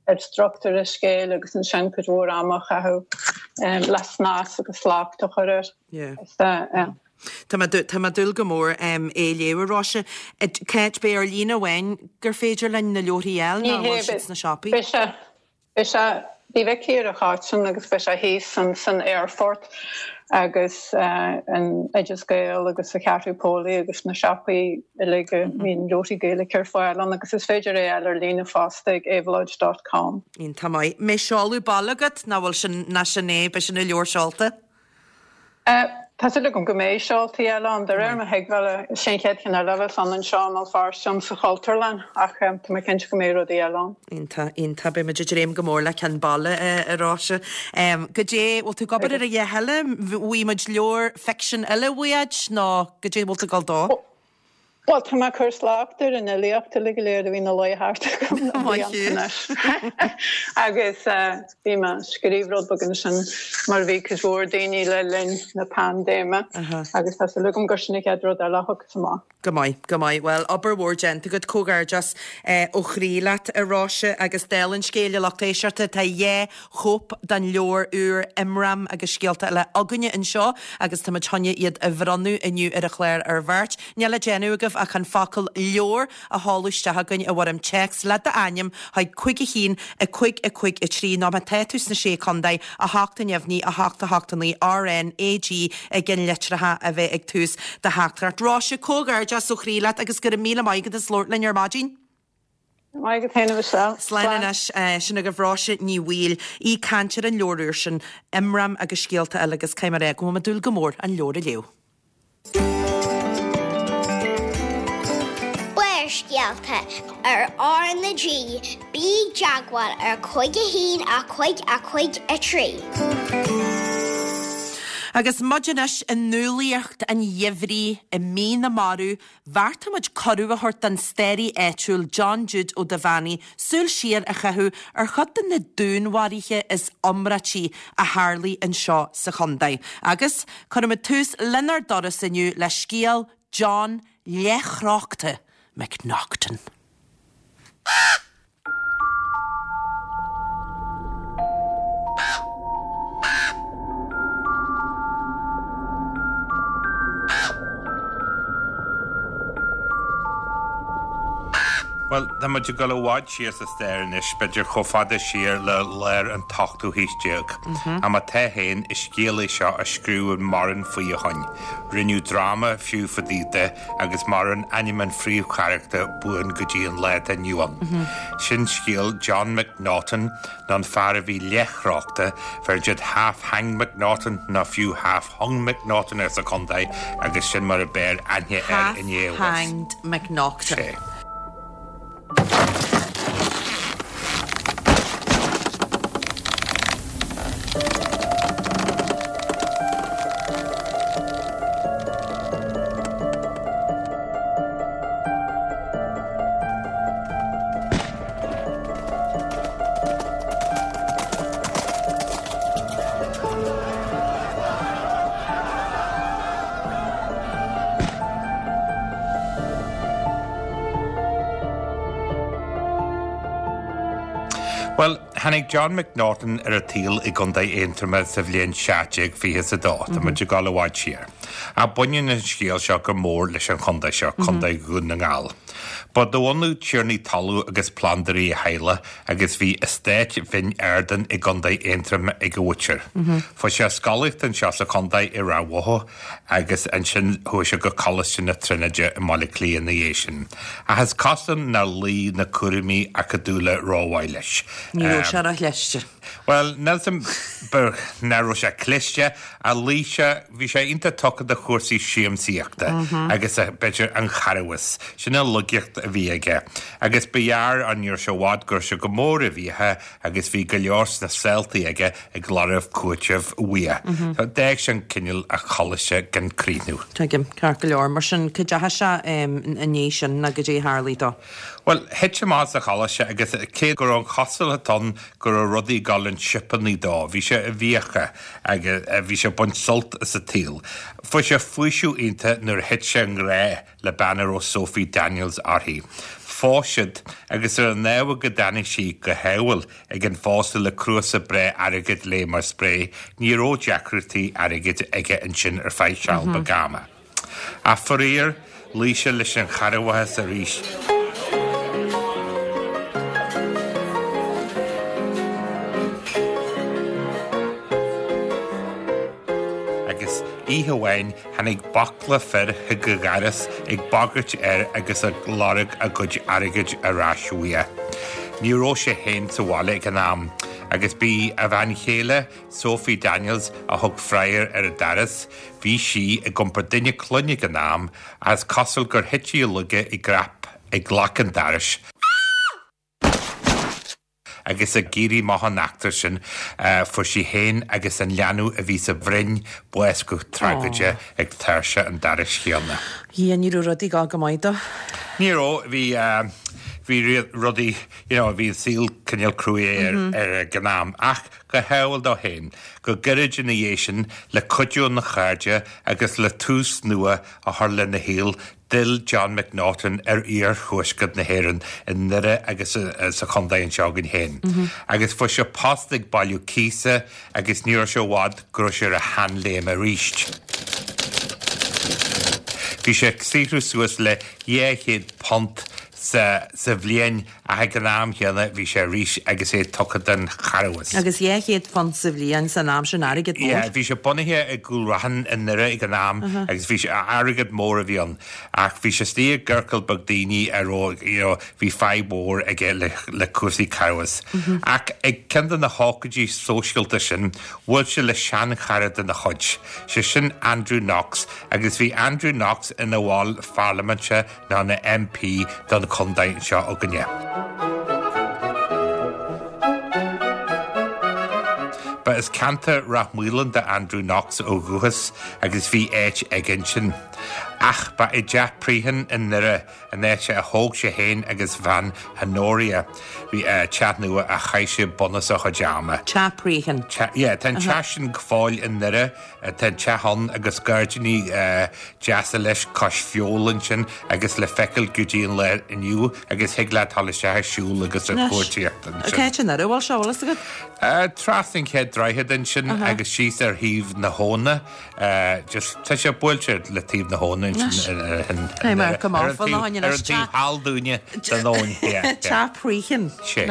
ar struchtúr an scéil agus ansin cuid mhór ama a chaitheamh le snas agus slacht a chur air. Tá mé tá mé ag dúil go mór é a léamh a Róise. Cá háit, ar líne amháin gur féidir linn na leabharthaí a fháil nó an bhfuil siad sna siopaí? Beidh sé, beidh sé, bhí Vicky ar an Cháitsean agus beidh sé thíos san aerfort agus in Oideas Gael agus sa Cheathrú Póilí agus na siopaí uilig a mbíonn leabharthaí Gaeilge ar fáil ann agus is féidir é a fháil ar líne fosta ag éabhloid dot com. Iontach maith. Mbeidh seoladh baile agat nó bhfuil sin, ná sin é, beidh sin an leabhar seolta? Tá súil agam go mbeidh seoltaí eile ann. De réir mo thuigbheála, is é an chéad cheann eile a bheas ann anseo i mBéal Feirste ann sa Chultúrlann ach tá mé cinnte go mbeidh rudaí eile ann. Iontach, iontach. Beidh muid ag dréim go mór le ceann baile, a Róise. Goidé, bhfuil tú ag obair ar a dhath eile? Bhfaighidh muid leabhar ficsin eile uait nó goidé bhfuil tú ag dul dó? Bhuel, tá mé ag cur slacht ar an fhilíocht uilig go léir a bhí ina luí thart agam le blianta anois. Agus bhí mé ag scríobh rud beag ansin mar a bhí cuid mhór daoine le linn na paindéime agus tá súil agam gur sin an chéad rud eile a thiocfas amach. Go maith, go maith. Bhuel, obair mhór déanta agat. Comhghairdeas ó chroí leat, a Róise, agus dála an scéil, a lucht éisteachta, tá dhá chóip den leabhar úr Imram agus Scéalta Eile againne anseo agus táimid chun iad a bhronnadh inniu ar an chlár ar bheirt. Níl le déanamh agaibh ach an focal 'leabhar' a sheoladh isteach chugainn i bhfoirm téacs le d'ainm chuig 5 1 5 5 3 nó má tá tú sna Sé Chontae, 8 neamhní 8 8 9 R N A G ag an litreacha a bheith ag tús do theachtaireacht. Róise, comhghairdeas ó chroí leat agus go raibh míle maith agat as labhairt linn ar maidin. Maith agat féin a Mhichelle. Slán anois. Sin agaibh Róise Ní Bhaoill, í ag caint ar an leabhar úr sin, Imram agus Scéalta Eile agus caithfidh mé a rá go bhfuil mé ag dúil go mór an leabhar a léamh. Barrscéalta ar R na G, bí i dteagmháil ar 5 1 5 5 3. Agus muid anois i ndúlaíocht an gheimhridh i mí na marbh, Bheartaigh muid cuireadh a thabhairt don staraí áitiúil John Jude Ó Duibheannaigh súil siar a chaitheamh ar chuid de na dúnmharuithe is iomráití a tharlaigh anseo sa chontae. Agus cuirfimid tús lenár dturas inniu le scéal John Leathchróchta McNaughton. Bhuel, tá muid ag dul i bhfad siar sa stair anois, b'fhéidir chomh fada siar le lár an t-ochtú haois déag. Ach má tá féin, is scéal é seo a scríobhadh mórán faoi ó shoin. Rinneadh dráma fiú fá dtaobh de agus maireann ainm an phríomhcharachtair buan go dtí an lá atá inniu ann. Sin scéal John McNaughton, nó an fear a bhí leathchrochta, bheireann siad Half-Hanged McNaughton nó fiú Half-Hung McNaughton air sa chontae agus sin mar a b'fhearr aithne air inniu. Half-Hanged McNaughton. Sé. Bhuel, tháinig John McNaughton ar an tsaol i gContae Aontroma sa bhliain 1722. Tá muid ag dul i bhfad siar. Ach baineann an scéal seo go mór leis an chontae seo, Contae Dhún na nGall. Ba de bhunadh tiarnaí talún agus plandóirí a theaghlach agus bhí eastát Bhinn Ardan i gContae Aontroma ag a mhuintir. Fuair sé a scolaíocht anseo sa chontae i Ráth Bhoth agus ansin chuaigh sé go Coláiste na Tríonóide i mBaile Átha Cliath ina dhiaidh sin. Ach is cosúil nár luigh na cúraimí acadúla rómhaith leis. Ní raibh sé ró-chliste. Bhuel, níl 's a'm nach raibh sé cliste, ach luigh sé, bhí sé iontach tugtha do chúrsaí siamsaíochta agus b'fhéidir an charghas. Sin an laigeacht a bhí aige. Agus ba ghearr, ní raibh sé i bhfad go raibh sé go mór i bhfiacha agus bhí go leor sna saoltaí aige ag lorg cúitimh uaidh. So d'fhág sin cineál a choláiste gan críochnú. Tuigim, ceart go leor. Mar sin, cá dteachaigh sé i ndiaidh sin nó goidé a tharlaigh dó? Bhuel, thit sé amach as an choláiste agus cé go raibh an chosúlacht ann go raibh rudaí ag dul chun sipeannaí dó, bhí sé i bhfiacha agus bhí sé ag baint sult as an tsaol. Fuair sé faoiseamh iontach nuair a thit sé i ngrá le bean a raibh Sophie Daniels uirthi. Phós siad agus ar an ábhar go dtáinig sí go hádhúil ag an phósadh le cnuasach breá airgid léi mar spré, ní raibh deacrachtaí airgid aige ansin ar feadh seal beag ama. Ach faraor, luigh sé leis an charghas arís. Agus oíche amháin tháinig baicle fir chuig a dhoras ag bagairt air agus ag lorg a gcuid airgid ar ais uaidh. Ní raibh sé féin sa bhaile ag an am agus b'í a bhean chéile, Sophie Daniels a thug freagra ar an doras. Bhí sí ag iompar duine clainne ag an am, ach is cosúil gur thit sí i laige i gcrap ag glac an dorais, agus ag éirí amach an eachtra sin, fuair sí féin agus an leanbh a bhí sa bhroinn bás go tragóideach ag tairseach an dorais chéanna. Dhia, ní raibh rudaí ag dul go maith dó. Ní raibh, bhí, bhí rudaí, you know, bhí an saol cineál cruaidh air ag an am, ach Go hádhúil dó féin, go gairid ina dhiaidh sin, le cuidiú óna chairde agus le tús nua a chur lena shaol, d'fhill John McNaughton ar iarthuaisceart na hÉireann, i nDoire agus sa chontae anseo againn féin. Agus fuair sé post ag bailiú cíosa agus ní raibh sé i bhfad go raibh sé ar a sheanléim arís. Bhí sé ag saothrú suas le £200 sa bhliain Ach ag an am chéanna bhí sé arís agus é tugtha don charghas. Agus £200 sa bhliain san am sin, airgead mór. Yeah, bhí sé bunaithe i gCúil Raithin i nDoire ag an am agus bhí sé, airgead mór a bhí ann. Ach bhí sé istigh i gciorcal beag daoine a raibh, you know, bhí fadhb mhór aige le, le cúrsaí carghais. Ach ag ceann de na hócáidí sóisialta sin, bhuail sé le seanchara dena chuid, sé sin Andrew Knox, agus bhí Andrew Knox ina bhall pharlaiminte nó ina MP don chontae seo againne. Ba as ceantar Rath Maoláin d'Andrew Knox ó dhúchas agus bhí áit aige ansin. Ach ba i dTeach Prehen i nDoire, an áit a thóg sé féin agus a bhean Honoria, bhí teach nua a chaith sé bunús a chuid ama. Teach Prehen. Yeah, tá an teach sin go fóill i nDoire. Tá an teach ann agus gairdíní deasa leis cois Feabhail ansin agus le feiceáil go dtí an lá inniu agus thig leat dul isteach ag siúl agus ag cuartaíocht ansin. Cá háit i nDoire a bhfuil sé, bhfuil fhios agat? Trasna an chéad droichead. droichead ansin agus síos ar thaobh na habhna, just tá sé buailte le taobh na habhna ansin ar an taobh thall dúinne den abhainn. Teach Prichin. Sé.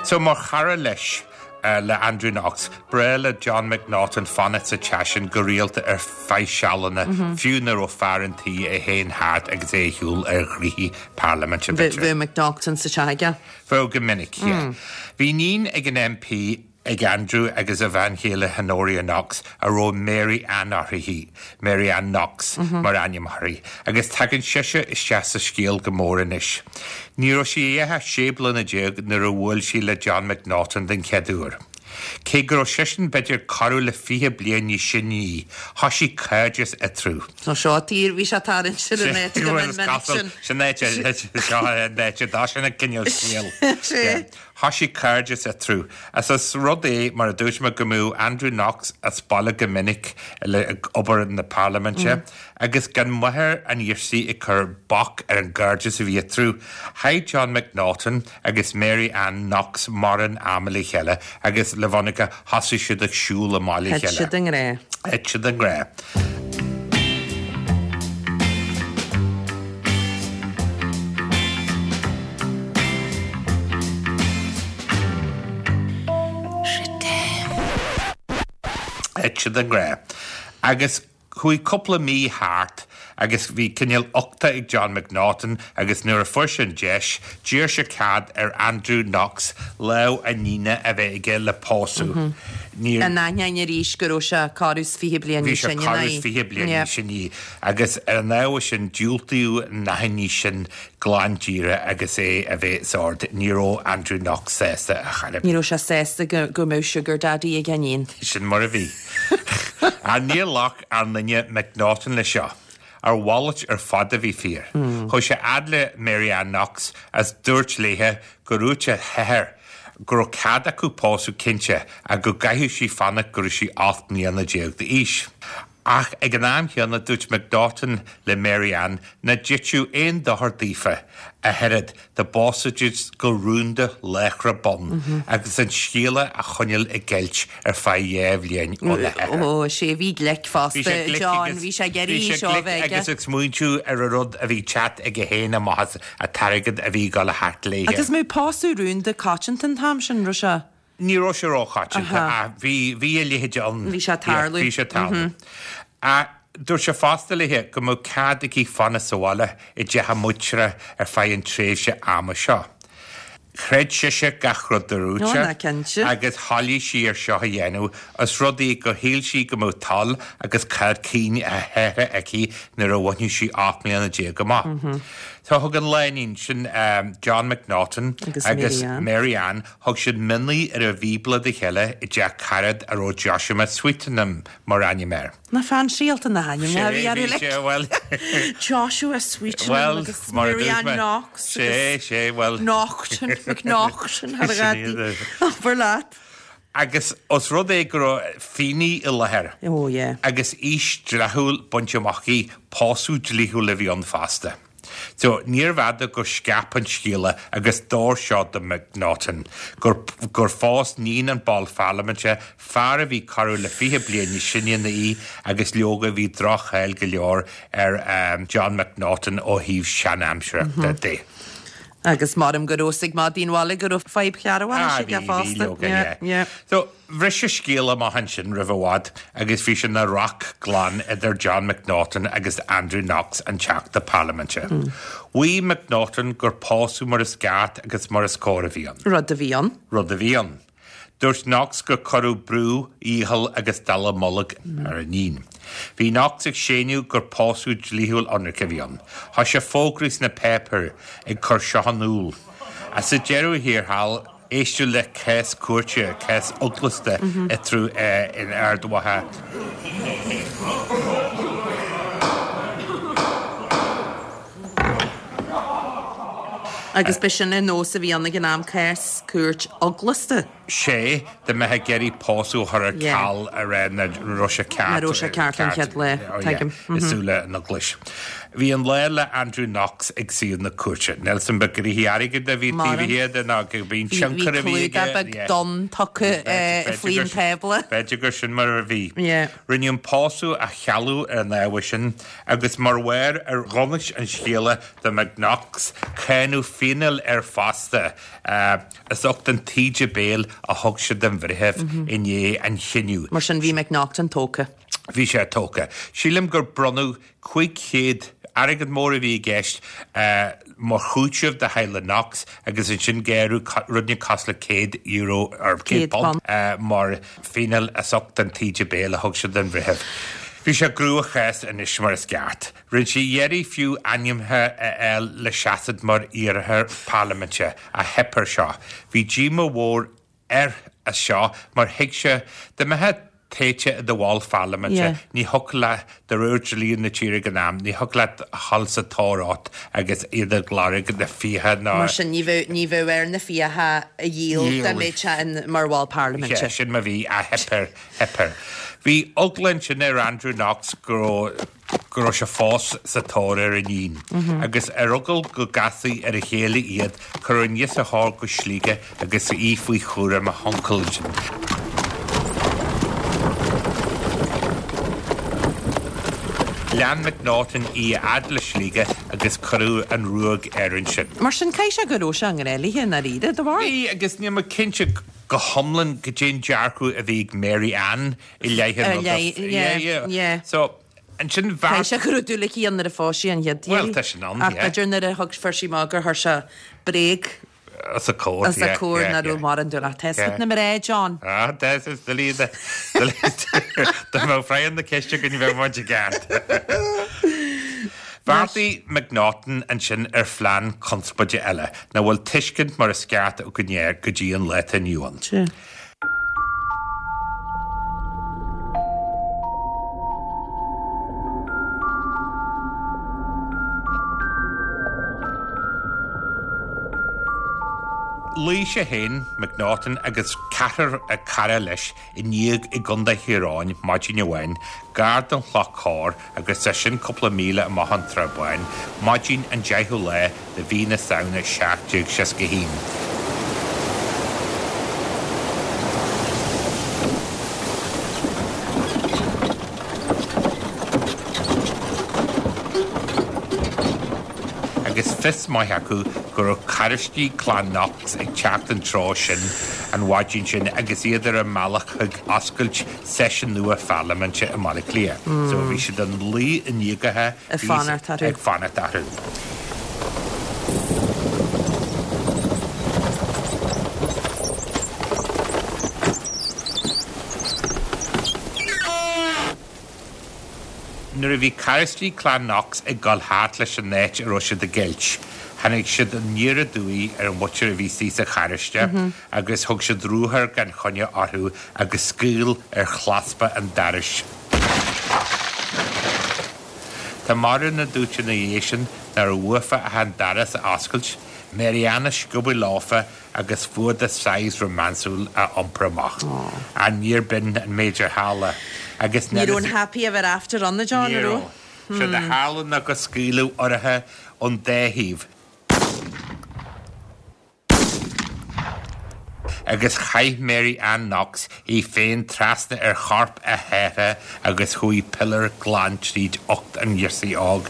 So mar chara leis, le Andrew Knox, b'bhreá le John McNaughton fanacht sa teach sin go rialta ar feadh sealanna, fiú nuair a raibh fear an tí é féin thart agus é ar shiúl ar ghnoithí parlaiminte, b'fhéidir. Bheadh McNaughton sa teach aige. Bheadh go minic, yeah. Bhí iníon ag an MP, ag Andrew agus a bhean chéile Honoria Knox, a raibh Mary Ann uirthi, Mary Ann Knox mar ainm uirthi, agus tagann sise isteach sa scéal go mór anois. Ní raibh sí ach 16 bliana nuair a bhuail sí le John McNaughton den chéad uair. Cé go raibh seisean b'fhéidir corradh le 20 bliain níos sine í, thoisigh cairdeas eatarthu. Nó seo tír, bhí sé tarraingt sin an áit go minic sin. Sin áit, seo an áit a d'fhás an cineál scéal. Thoisigh cairdeas eatarthu. Is as rud é, mar a dúirt mé, go mbíodh Andrew Knox as baile go minic le ag obair na parlaiminte agus gan máthair an ghirsigh ag cur bac ar an gcairdeas a bhí eatarthu, chaith John McNaughton agus Mary Ann Knox mórán ama le chéile agus le bhfírinne thosaigh siad ag siúl amach le chéile. Thit siad i ngrá. Thit siad i ngrá. Thit siad i ngrá. Agus chuaigh cúpla mí thart agus bhí cineál uchta ag John McNaughton agus nuair a fuair sé an deis, d'iarr sé cead ar Andrew Knox lámh a iníne a bheith aige le pósadh. Níor. In ainneoin arís go raibh sé corradh is 20 bliain níos sine ná í. Bhí sé corradh is 20 bliain níos sine í. Agus ar an ábhar sin, diúltaíodh an achainí sin glan díreach agus é a bheith os ard. Ní raibh Andrew Knox sásta ar chor ar bith. Ní raibh sé sásta go mbeadh sugar daddy ag a iníon. Sin mar a bhí. Ach níor ghlac ár nduine McNaughton leis seo. A mhalairt ar fad a bhí fíor. Chuaigh sé fhad le Mary Ann Knox agus dúirt léithe gur dhúirt a hathair go raibh cead acu pósadh cinnte ach go gcaithfeadh sí fanacht go raibh sí 18 mbliana d'aois. Ach ag an am chéanna dúirt McNaughton le Mary Ann nach dtitfeadh aon dochar daofa ach oiread dá bpósfaidís go rúnda láithreach bonn agus an scéala a choinneáil i gceilt ar feadh dhá bhliain óna hathair. Ó, sé bhí glic fosta, John, bhí sé ag iarraidh í seo a bheith aige. Agus ag smaointiú ar an rud a bhí teacht aige féin amach as an t-airgead a bhí ag dul a theacht léithe. Agus mbeadh pósadh rúnda coitianta an t-am sin, raibh sé? Ní raibh sé róchoitianta ach bhí, bhí a leithéid ann. Bhí sé ag tarlú. Bhí sé ag tarlú. Ach dúirt sé fosta léithe go mbeadh cead aici fanacht sa bhaile i dteach a muintire ar feadh an tréimhse ama seo. Chreid sise gach rud a dúirt sé agus thoiligh sí ar seo a dhéanamh os rud é gur shíl sí go mbeadh toil agus cead cinn a hathara aici nuair a bhainfeadh sí 18 mbliana amach. So thug an lánúin sin, John McNaughton agus Mary Ann, Thug siad mionnaí ar an Bhíobla dá chéile i dteach carad a raibh Joshua Sweetenham mar ainm air. Na fancy-áilte na hainmneacha a bhí orthu like. Sé, bhuel. Joshua Sweetenham agus Mary Ann Knox agus. Sé, sé, bhuel. Naughton, McNaughton thar a ghadaí. Abair leat. Agus os rud é go raibh finné i láthair agus aois dleathúil bainte amach aici, pósadh dlíthiúil a bhí ann fosta. So, níorbh fhada gur scaip an scéala agus d'fhóir seo do McNaughton gur gur phós níon an ball pharlaiminte fear a bhí corradh le 20 bliain níos sine ná í agus leoga bhí droch-cháil go leor ar John McNaughton ó thaobh seanaimsireachta de. Agus maram go raibh fhios ag madaí an bhaile go raibh fadhb chearrbhachais aige fosta. Bhí, leoga, yeah. Yeah. So, Bhris an scéal amach ansin roimh i bhfad agus bhí sé ina rac glan idir John McNaughton agus Andrew Knox, an Teachta Parlaiminte. Mhaígh McNaughton gur pósadh mar is ceart agus mar is cóir a bhí ann. Rud a bhí ann. Rud a bhí ann. Dúirt Knox gur cuireadh brú, iachall agus dallamullóg ar a iníon. Bhí Knox ag séanadh gur pósadh dlíthiúil ionraic a bhí ann. Thosaigh fógraí sna páipéir ag cur seo in iúl. Ach sa deireadh thiar thall, Éisteadh le cás cúirte, cás eaglasta eatarthu in Ard Mhacha. Agus b'shin an nós a bhí ann ag an am, cás cúirt eaglasta. Sé, dá mbeifeá ag iarraidh pósadh a chur ar ceal a rá nach raibh sé ceart. Nach raibh sé ceart an chéad lá, tuigim. I súile an Eaglais. Bhí an lá le Andrew Knox ag suíomh na cúirte. Níl 's a'm ba gnoithí airgid a bhí taobh thiar de ná cibé an tionchar a bhí aige. Bhí clúdach beag donn tugtha faoin tábla. B'fhéidir gur sin mar a bhí. Rinneadh an pósadh a chealú ar an ábhar sin agus mar bharr ar dhonas an scéala do McKnox, cáineadh fíneáil air fosta as ucht an taoide béil a thug sé don bhreitheamh i ndiaidh an chinnidh. Mar sin bhí McNaughton tógtha. Bhí sé tógtha. Sílim gur bronnadh 500, airgead mór a bhí i gceist, mar chúiteamh do theaghlach Knox agus ansin gearradh rud inteacht cosúil le €100 or £100 mar phíneáil as ucht an taoide béil a thug sé don bhreitheamh. Bhí sé i gcrua-chás anois mar is ceart. Rinne sé iarraidh fiú ainmnithe a fháil le seasamh mar iarrthóir parlaiminte ach theip air seo. Bhí díomá mhór air as seo mar thuig sé, dá mbeifeá tofa i do bhall pharlaiminte, ní thiocfadh leat, de réir dlí na tíre ag an am, ní thiocfadh leat a dhul sa tóir ort agus iad ag lorg na fiacha ná. Mar sin, ní bheadh, ní bheadh air na fiacha a dhíol dá mbeadh sé in mar bhall parlaiminte. Sea, sin mar bhí, ach theip air, theip air. Bhí eagla ansin ar Andrew Knox go raibh, go raibh sé fós sa tóir ar a iníon, agus ar eagal go gcasfaí ar a chéile iad, cuireadh an ghirseach óg go Sligeach agus í faoi chúram a huncail ansin. Lean McNaughton í a fhad le Sligeach agus cuireadh an ruaig air ansin. Mar sin, caithfidh sé go raibh sé i ngrá léi i ndáiríre, de bharr. Bhí, agus níl mé cinnte go hiomlán goidé an dearcadh a bhí ag Mary Ann i leith an ruda. Yeah, yeah, yeah. So, ansin bheart. Caithfidh sé go raibh dúil aici ann nuair a phós sí an chéad iarraidh. Bhuel, tá sin ann, yeah. Ach b'fhéidir nuair a thug, fuair sí amach gur chuir sé bréag. Os a comhair, yeah, yeah. Os a comhair nach raibh mórán dúil. Ach tá 'fhios agat na mná, John. Ah, tá 'fhios doiligh, doiligh, dá mbeadh freagra na ceiste againn bheadh muid i gceart. Bheartaigh McNaughton ansin ar phlean conspóide eile, nach bhfuil tuiscint mar is ceart againn air go dtí an lá atá inniu ann. Luigh sé féin, McNaughton, agus ceathrar cara leis i ndíog i gContae Thír Eoghain maidin amháin, gar don Chloch Chorr, agus é sin cúpla míle amach ón Tsrath Báin, maidin an 10ú lá de mhí na Samhna 1761. Agus fios maith acu go raibh carráistí Clann Knox ag teacht an treo sin an mhaidin sin agus iad ar a mbealach chuig oscailt seisiún nua pharlaiminte i mBaile Átha Cliath. So bhí siad ina luí i ndíogacha Ag fanacht orthu. Ag fanacht orthu. Nuair a bhí carráistí Clann Knox ag dul thart leis an áit a raibh siad ag geilt, tháinig siad aniar aduaidh ar an mhuintir a bhí istigh sa charráiste agus thug siad ruathar gan choinne orthu agus scaoll ar chlaspa an dorais. Tá mórán a dúirt ina dhiaidh sin nach raibh uafa ach an doras a oscailt, Mary Ann a sciobadh leofa agus fuadach saghas rómánsúil a iompar amach. Ach níor b'in an méid ar tharla. Agus Ní raibh an happy ever after ann, a John, Ní an raibh. raibh? Séard a tharla ná gur scaoileadh orthu ón dá thaobh. Agus chaith Mary Ann Knox í féin trasna ar chorp a hathar agus chuaigh piléar glan tríd ucht an ghirsigh óg.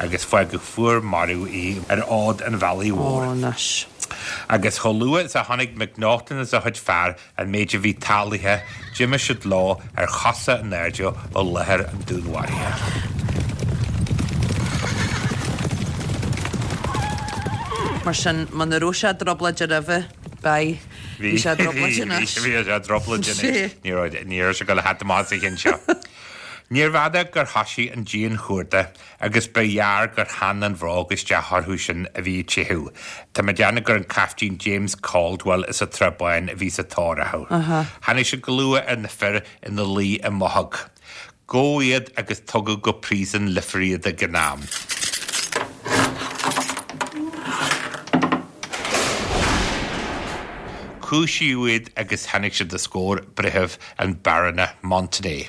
Agus fágadh fuar marbh í ar fhód an bhealaigh mhóir. Agus chomh luath is a chonaic McNaughton is a chuid fear An méid a bhí tarlaithe, d'imigh siad leo ar chosa in airde ó láthair an dúnmharaithe. Mar sin, muna raibh sé i dtrioblóid roimhe, beidh. Bhí sé i dtrioblóid anois. Bhí sé i dtrioblóid anois. Ní raibh, ní raibh sé ag dul a theacht amach as an cheann seo. Níorbh fhada gur thoisigh an dian-chuardach agus ba ghearr gur theann an bhróg isteach orthu sin a bhí ag teitheadh. Tá mé ag déanamh gur an Caiftín James Caldwell as an tSrath Bán a bhí sa tóir orthu. Tháinig siad go luath ar na fir ina luí i mbothóg. Gabhadh iad agus tugadh go príosún Leifir iad ag an am. Cúisíodh iad agus tháinig siad os comhair breitheamh an Barúna Montenay.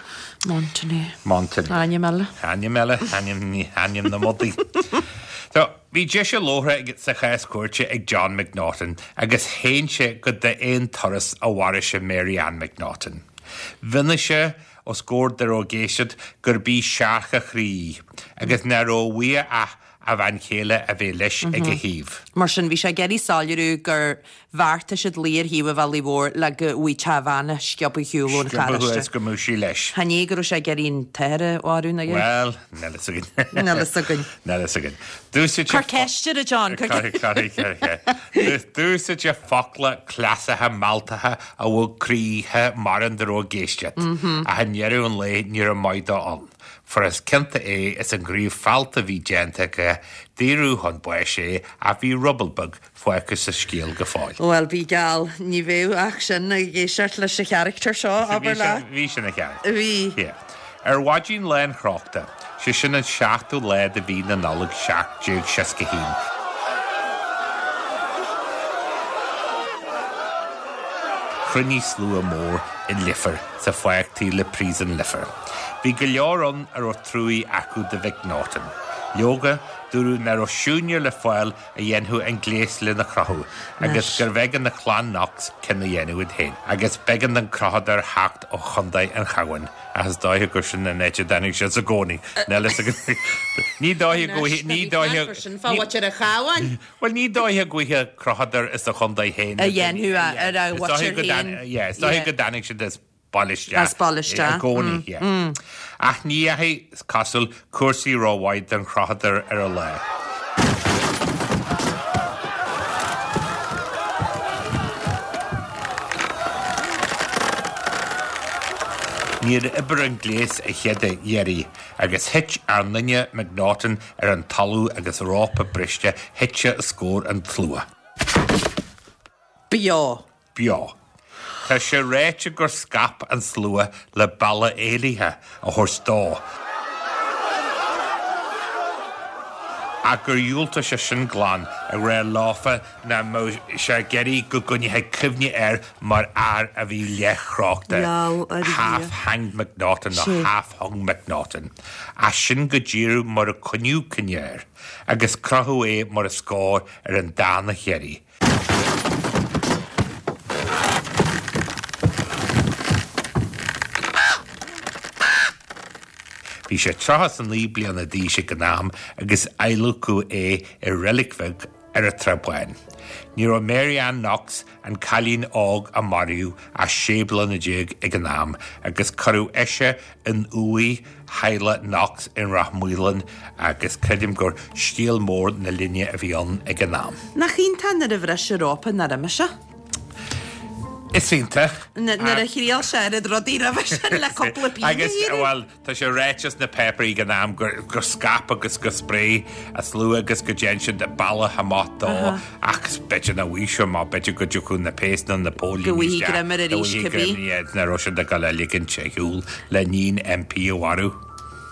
Montenay. Montenay. Ainm eile. Ainm eile, ainm, ainm na mbodaí. So, bhí deis a labhartha sa chás cúirte ag John McNaughton agus shéan sé gur d'aon turas a mharaigh sé Mary Ann McNaughton. Mhionnaigh sé os comhair dá raibh ag éisteacht gurb í searc a chroí í agus nach raibh uaidh ach a bhean chéile a bheith leis ag a thaobh. Mar sin, bhí sé ag iarraidh soiléiriú gur bheartaigh siad luí ar thaobh an bhealaigh mhóir le go bhfaighteadh a bhean a sciobadh ar shiúl ón Sciobadh charráiste. is go mbeadh sí leis. Chan é go raibh sé ag iarraidh an t-athair a mharú, ná ea? Bhuel, níl fhios againn. Níl fhios againn. Níl fhios againn. D'úsáid sé Cuir ceist air, a John, cuir Cuir, cuir, cuir, cuir. D'úsáid sé focla cleasacha mealltacha a bhog croíthe mórán dá raibh ag éisteacht. Ach i ndeireadh an lae ní raibh maith dó ann. Fuair is cionta é as an ghníomh feallta a bhí déanta aige, daoradh chun báis é ach bhí ruball beag fágtha sa scéal go fóill. Bhuel, bí geall, ní bheadh ach sin ag éisteacht leis an charachtar seo, abair leat. Bhí sin ina charachtar. Bhí. Yeah. Ar mhaidin lá an chrochta, sé sin an seachtú lá de mhí na Nollag 1761, chruinnigh slua mór i Leifear sa pháirc taobh le Príosún Leifear. Bhí go leor ann a raibh truaí acu do McNaughton. Leoga, dúradh nach raibh siúinéir le fáil a dhéanfadh an gléas lena chrochadh agus gurbh éigean do chlann Knox ceann a dhéanamh iad féin. Agus b'éigean don chrochadóir theacht ó Chontae an Chabháin, ach is dóiche gur sin an áit a dtáinig sé i gcónaí. Níl fhios againn. Ní dóiche go bhfaighidh, ní dóiche. Anois, tá bhí ceart sin fá mhuintir an Chabháin. Bhuel, ní dóiche go bhfaighidh crochadóir as a chontae féin. A dhéanfadh ar a mhuintir féin. Yeah, is dóiche go dtáinig siad as baile isteach. As baile isteach. I gcónaí, yeah. Ach ní dheachaigh, is cosúil, cúrsaí rómhaith don chrochadóir ar an lá. Níor oibir an gléas a chéad iarraidh agus thit ár nduine McNaughton ar an talamh agus rópa briste thit sé os comhair an tslua. Beo. Beo. Tá sé ráite gur scaip an slua le bealach éalaithe a thabhairt dó, ach gur dhiúltaigh sé sin glan, ag rá leofa nach mbeadh sé ag iarraidh go gcoinneofaí cuimhne air mar fhear a bhí leathchrochta, half-hanged McNaughton nó half-hung McNaughton. Ach sin go díreach mar a coinníodh cuimhne air, agus crochadh é mar is cóir ar an darna hiarraidh. Bhí sé 39 bliana d'aois ag an am agus adhlacadh é i reilig bheag ar an Trá Bháin. Ní raibh Mary Ann Knox, an cailín óg a maraíodh, ach 16 bliana ag an am agus cuireadh ise in uaigh theaghlach Knox i Ráth Maoláin agus creidim gur scéal mór na linne a bhí ann ag an am. Nach iontach nuair a bhris an rópa nár imigh sé? Is iontach. Nuair a thriail sé oiread rudaí roimhe sin le cúpla pingin a iarraidh. Bhuel, Tá sé ráite sna páipéirí ag an am gur scaip agus gur spréigh an slua agus go dtearn siad bealach amach dó ach b'fhéidir nach bhfaighidh sé amach, b'fhéidir go dtiocfadh na péas nó na póilíní Go bhfaighidh greim air arís cibé. Nach raibh siad ag dul a ligint ar shiúl le níon MP a mharú.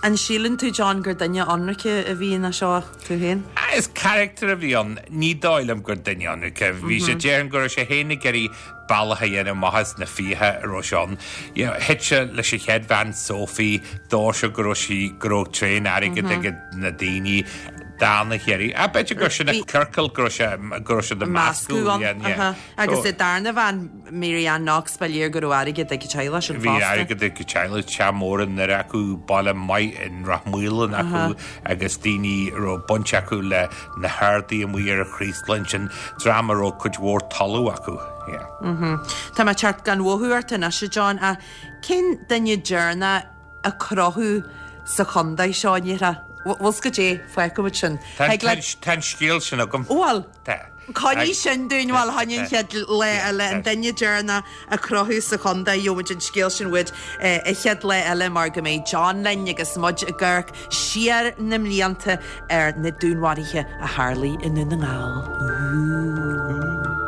An síleann tú, John, gur duine ionraice a bhí ina seo, tú féin? Is carachtar a bhí ann. Ní dóigh liom gur duine ionraice. Bhí sé, déarfainn go raibh sé féin ag iarraidh bealach a dhéanamh amach as na fiacha a raibh sé ann. You know, thit sé leis an chéad bhean Sophie, dúirt sé go raibh sí, go raibh tréan airgid ag na daoine, dána Chiarraí. Ah, b'fhéidir gur sin an ciorcal go raibh sé, go raibh siad ag Meascadh meascadh, ann. yeah, yeah. Aha. Agus So, an darna bhean, Mary Ann Knox, ba léir go raibh airgead ag an teaghlach sin Bhí fosta. airgead ag an teaghlach, teach mór i nDoire acu, baile maith in Ráth Maoláin acu agus daoine a raibh baint acu le na hardaí amuigh ar an Chraoslach ansin, dream a raibh cuid mhór talamh acu. Yeah. Tá mé ag teacht gan mhothú ort anois, a John, ach cén duine deireanach a crochadh sa chontae seo, an ndéarfá? Bhfuil 's goidé, fágfaimid sin. Tá Thig leat. tá an scéal sin agam. Bhuel. Tá. Coinnigh sin dúinn, bhuel, fá choinne an chéad lá eile, an duine deireanach a crochadh sa chontae, gheobhaimid an scéal sin uait an chéad lá eile mar go mbeidh John linn agus muid ag amharc siar na mblianta ar na dúnmharuithe a tharlaigh i nDún na nGall. Ooh.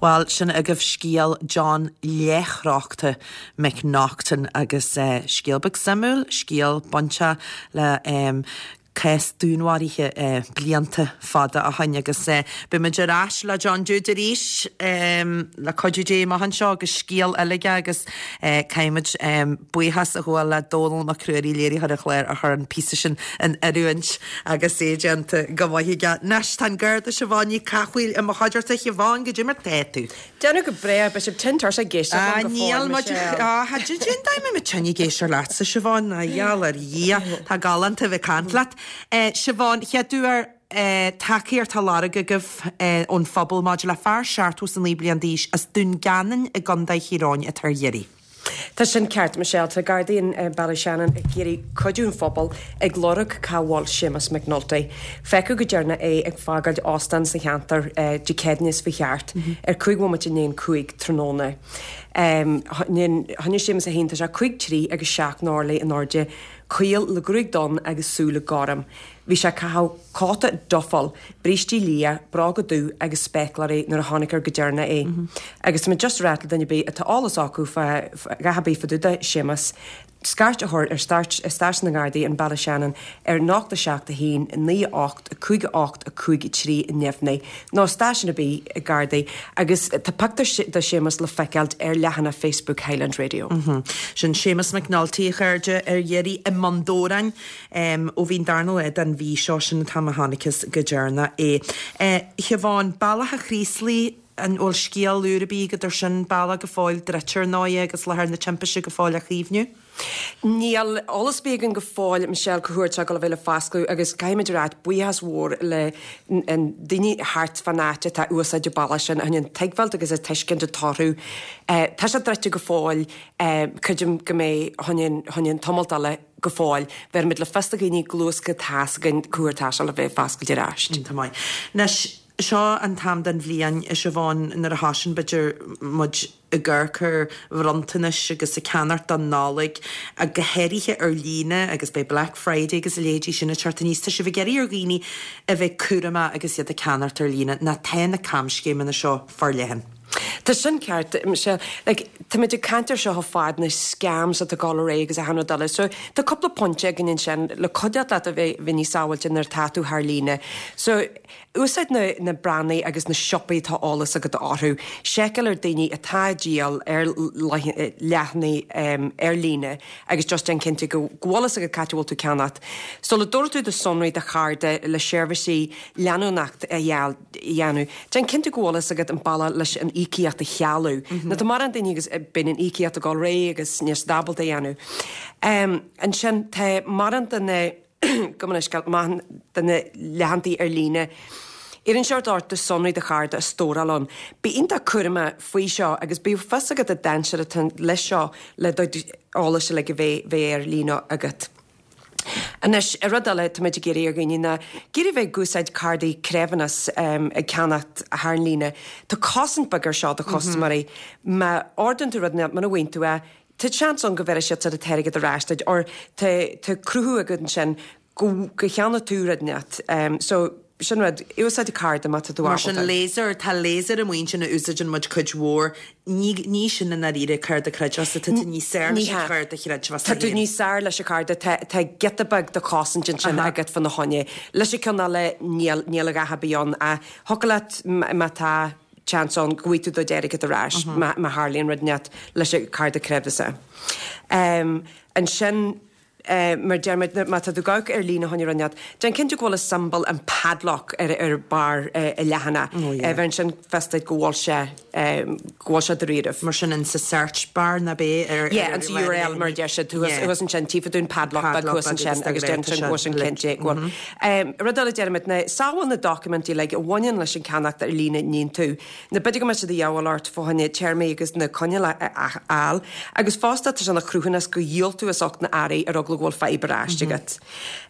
Bhuel, sin agaibh scéal John Leathchrochta McNaughton agus scéal beag suimiúil, scéal bainteach le cás dúnmharaithe blianta fada ó shoin agus beidh muid ar ais le John Jude arís le cuidiú Dé amach anseo agus scéal eile aige agus caithfidh muid buíochas a ghabháil le Dónall Mac Ruairí, léiritheoir an chláir a chuir an píosa sin in oiriúint agus é déanta go maith aige. Anois tá an Garda Siobhán Ní Cathmhaoil i mo chuideachta. Siobhán, goidé mar tá tú? Déanamh go breá, beidh sibh tinn tuirseach ag éisteacht liom go fóill, Níl muid, Michelle. Cén dóigh a mbeidh muid tinn ag éisteacht leatsa, Siobhán, a gheall ar Dhia, tá galánta a bheith ag caint leat. Siobhán, chéad uair tacaíocht á lorg agaibh ón phobal maidir le fear 79 bliain d'aois as Dún Geanainn i gContae Thír Eoghain atá ar iarraidh. Tá sin ceart, Michelle. Tá Gardaí in Ballyshannon ag iarraidh cuidiú an phobail ag lorg cá bhfuil Séamus McNulty. Feiceadh go deireanach é ag fágáil óstán sa cheantar Dé Céadaoine seo chuaigh thart ar 5 bhomaite i ndiaidh an 5 tráthnóna. Choinnigh Séamus é féin, tá sé 5 3 agus 7 n-orlaí in airde, caol le gruaig donn agus súile gorm. Bhí sé ag caitheamh cóta duffel, brístí liath, bróga dubh agus spéacláirí nuair a chonaicear go deireanach é. Agus tá muid just ag ráit le duine ar bith atá eolas acu fá dhath ar bith fá dtaobh de Séamus, scairt a chur ar stáisiún na nGardaí in Ballyshannon ar 0 7 1 9 8 5 8 5 3 neamhní nó stáisiún ar bith Gardaí agus tá pictiúr de Séamus le feiceáilt ar leathanach Facebook Highland Radio. Sin Séamus McNulty, a chairde, ar iarraidh i mBun Dobhráin. Ó bhí an darna lá den mhí seo, sin an t-am a chonacthas go deireanach é. A Shiobhán, Bealach a' Chraoslaigh, an bhfuil scéal úr ar bith agat ar sin? Bealach go fóill druidte ar ndóigh agus láthair na timpiste go fóill á chaomhnú? Níl eolas ar bith againn go fóill, Michelle, cá huair atá ag dul a bheith le foscladh agus caithfimid a ráit buíochas mhór le daoine thart fán áit atá ag úsáid an bealach sin a choinneáil tuigbheáilt agus ag tuiscint an toradh. Tá sé druidte go fóill, creidim go mbeidh choinneáil tamalt eile go fóill. Bhéarfaimid le fios do dhaoine go luath is go tá's againn cá huair atá sé le bheith foscailte ar ais. Iontach maith. Anois, seo an t-am den bhliain, a Siobhán, nuair a thosaíonn, b'fhéidir, muid ag amharc ar bhronntanais agus ag ceannacht don Nollaig, ach go háirithe ar líne agus beidh Black Friday agus a leithéidí sin ag teacht aníos. Tá sibh ag iarraidh ar dhaoine a bheith cúramach agus iad ag ceannacht ar líne, nó tá na camscéimeanna seo forleathan. Tá sin ceart, Michelle. Like, táimid ag caint ar seo chomh fada, na scams atá ag dul ar aghaidh agus achan rud eile. So, tá cúpla pointe againn ansin le cuideacht leat a bheith bheith níos sábháilte nuair atá tú thar líne. So, úsáid na na brandaí agus na siopaí atá eolas agat orthu. Seiceáil ar daoine atá ag díol ar leathanaigh ar líne agus just déan cinnte go go bhfuil fhios agat cá háit a bhfuil tú ag ceannacht. Sula dtabharfaidh tú do sonraí do chárta le seirbhísí leanúnacht a fháil, dhéanamh. Déan cinnte go bhfuil fhios agat an bealach leis an íocaíocht a chealú. Nó tá mórán daoine agus bíonn an íocaíocht ag dul réidh agus níl siad ábalta a dhéanamh. Ansin tá mórán de na, gabh mo leithscéal, mórán de na leathantaí ar líne, iarrann siad ort do sonraí do chárta a stóráil ann. Bí iontach cúramach faoi seo agus bíodh fios agat an dainséar atá leis seo le do eolas uilig a bheith ar líne agat. Anois, rud eile tá muid ag iarraidh ar dhaoine ná ag iarraidh bheith ag úsáid cárdaí creidmheasa ag ceannacht thar an líne. Tá cosaint beag ar seo do chustaiméirí. Má ordaíonn tú rud muna bhfaigheann tú é, tá seans ann go bhéarfaidh siad an t-airgead ar ais duit or tá tá cruthú agat ansin go go cheannaigh tú rud inteacht. So, sin rud, úsáid cárta má tá tú Mar sin ábalta. laser, tá laser amuigh ansin a úsáideann muid cuid mhór, ní, ní sin i ndáiríre cárta creidmheasa, tá tú níos fearr leis an chárta chreidmheasa Tá tú féin. níos fearr leis an chárta, tá, tá giota beag de chosaint ansin Aha. agat fána choinne. Leis an ceann eile níl, níl a dhath ar bith ann ach thiocfadh leat má tá chance ann go bhfaighidh tú do d'airgead ar ais má, má tharlaíonn rud inteacht leis an cárta creidmheasa. Ansin, Mar deir muid, má tá tú ag amharc ar líne fá choinne rud inteacht, déan cinnte go bhfuil an tsiombail an padlock ar ar barr an leathanach. Oh yeah. Bheireann sin fios duit go bhfuil sé go bhfuil sé dáiríribh. Mar sin in sa search bar ná bé ar Yeah, an sa URL mar a deir siad thuas thuas ansin tífidh tú an padlock beag thuas ansin agus déan sin go bhfuil sin cinnte go bhfuil. Rud eile deir muid ná sábháil na doiciméidí uilig a bhaineann leis an ceannacht ar líne a níonn tú. Nó b'fhéidir go mbeidh siad de dhíobháil ort fá choinne téarmaí agus na coinníollacha a fháil, agus fosta tá sé ina chruthúnas gur dhíol tú as ucht na earraí ar eagla go bhfuil fadhb ar ais agat.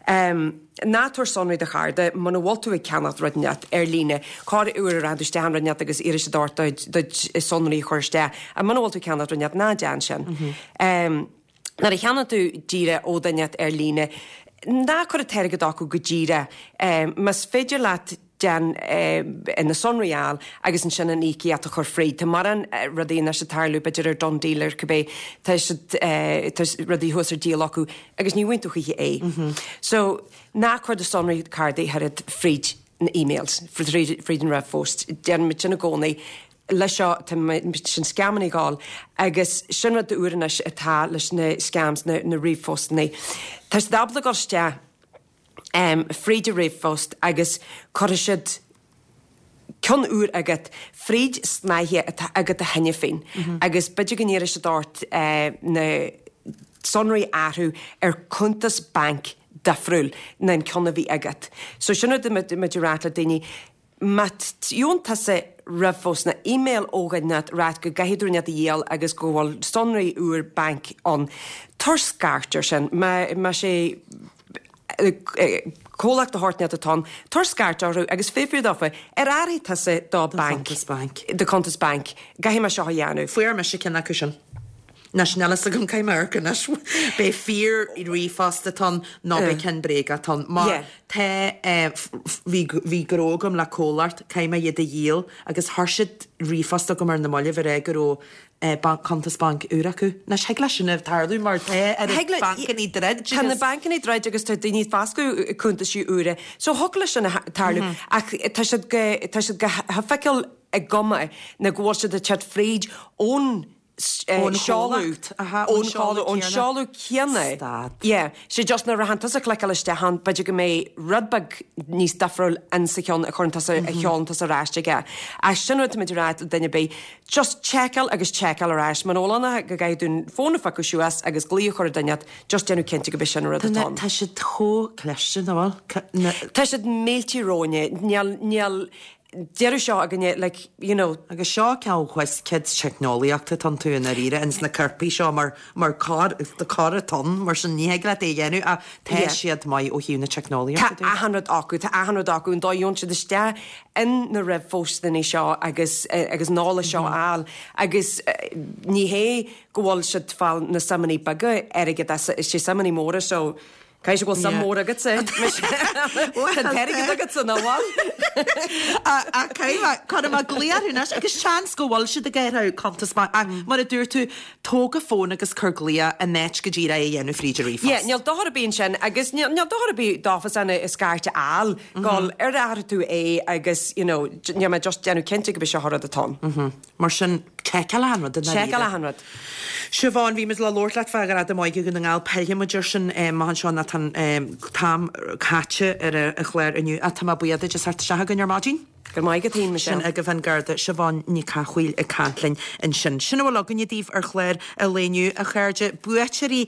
Ná tabhair sonraí do chárta muna bhfuil tú ag ceannacht rud inteacht ar líne. Corr uair a rachaidh tú isteach in rud inteacht agus iarrfaidh siad ort do sonraí a chur isteach. Ach muna bhfuil tú ag ceannacht rud inteacht, ná déan sin. Nuair a cheannaíonn tú díreach ó dhuine inteacht ar líne, ná cuir an t-airgead acu go díreach. Más féidir leat. Déan na sonraí a fháil agus ansin an íocaíocht a chur fríd. Tá mórán rudaí anois ag tarlú, b'fhéidir ar DoneDeal ar cibé, tá siad, tá rudaí thuas ar díol acu agus ní bhfaigheann tú choíche é. So, ná cuir do sonraí cártaí ach oiread fríd na emails, fríd an ríomhphost. Déanann muid sin i gcónaí. Leis seo, tá sin scamanna ag gabháil agus sin rud úr anois atá leis na scams, na ríomhphostanna. Tá siad ábalta dul isteach fríd an ríomhphost agus cuirfidh siad ceann úr agat fríd snáithe atá agat cheana féin agus b'fhéidir go n-iarrfaidh siad ort na sonraí a athrú ar cuntas bainc difriúil ná an ceann a bhí agat. So sin rud a muid ag rá le daoine. Má gheobhann tusa ríomhphost nó email ó dhuine ag ráit go gcaithfidh tú rud inteacht a dhíol agus go bhfuil sonraí úr bainc ann, tabhair scairt ar sin. Má sé comhlacht de shórt inteacht atá ann, tabhair scairt orthu agus fiafraigh dófa, ar athraigh tusa do banc, do cuntas bainc, caithfidh mé seo a dhéanamh. Fuair mise ceann acu sin. Anois níl fhios agam caithfidh mé amharc anois. B'é fíor ríomhphost atá ann nó b'é ceann bréagach atá ann. Mar tá bhí bhí gnó agam le comhlacht, caithfidh mé iad a dhíol agus chuir siad ríomhphost chugam ar na mallaibh ag rá go raibh banc cuntas bainc úr acu. Anois thig leis sin a tarlú mar tá ar na bancannaí druid agus. Tá na bancannaí druid agus tá daoine ag foscadh cuntaisí úra. So thig leis sin a tarlú ach tá siad go tá siad go hoifigiúil i gcuma ná go bhfuil siad ag teacht fríd ón seoladh, ón seoladh, ón seoladh céanna. Stad. Yeah. Sé just nuair a théann tusa ag cliceáil isteach ann, b'fhéidir go mbeidh rud beag níos difriúil in sa cheann a chuireann tusa, a sheolann tusa ar ais aige. Ach sin rud táimid ag rá le duine ar bith, just seiceáil agus seiceáil ar ais. Muna bhfuil ann go gcaithfidh tú an fón a phiocadh suas agus glaoch a chur ar duine, just déanamh cinnte go b'é sin an rud atá ann. Tá siad chomh cliste, nach bhfuil? Tá siad millte romhainne. Níl, níl, deireadh seo againne, like, you know. Agus seo ceann whiz kids teicneolaíochta atá iontu i ndáiríre ins na coirpigh seo mar mar coir coir atá ann mar sin ní thig leat é a dhéanamh ach tá Yeah. siad maith ó thaobh na teicneolaíochta Tá de. achan rud acu, tá achan rud acu, an dóigh a gheobhann siad isteach in na ríomhphostanna seo agus agus an eolas seo a fháil agus ní hé go bhfuil siad ag fáil na suimeanna beaga airgid as, is sé suimeanna móra so Caithfidh sé go bhfuil suim mhór agatsa. Tá an t-airgead agatsa, nach bhfuil? Ach caithfidh mé, cuirfidh mé glaoch orthu anois agus seans go bhfuil siad ag athrú cuntas bainc ach mar a dúirt tú, tóg an fón agus cuir glaoch in áit go díreach é a dhéanamh fríd an ríomhphost. Yeah, níl dochar ar bith ansin agus níl dochar ar bith dófa an scairt a fháil, gabháil ar athraigh tú é agus, you know, níl mé just déanamh cinnte go b'é seo an rud atá ann. Mar sin, seiceáil achan rud i ndáiríre. Seiceáil achan rud. Siobhán, bhí muid le labhairt leat fá Ghradaim Óige Dhún na nGall, pillfidh muid air sin amach anseo nó tá an t-am caite ar an chlár inniu ach tá mé buíoch duit as theacht isteach chugainn ar maidin. Go raibh maith agat féin, Michelle. Sin agaibh an Garda Siobhán Nic Cathmhaoil ag caint linn ansin. Sin a bhfuil againne daoibh ar chlár an lae inniu, a chairde. Buaiteoirí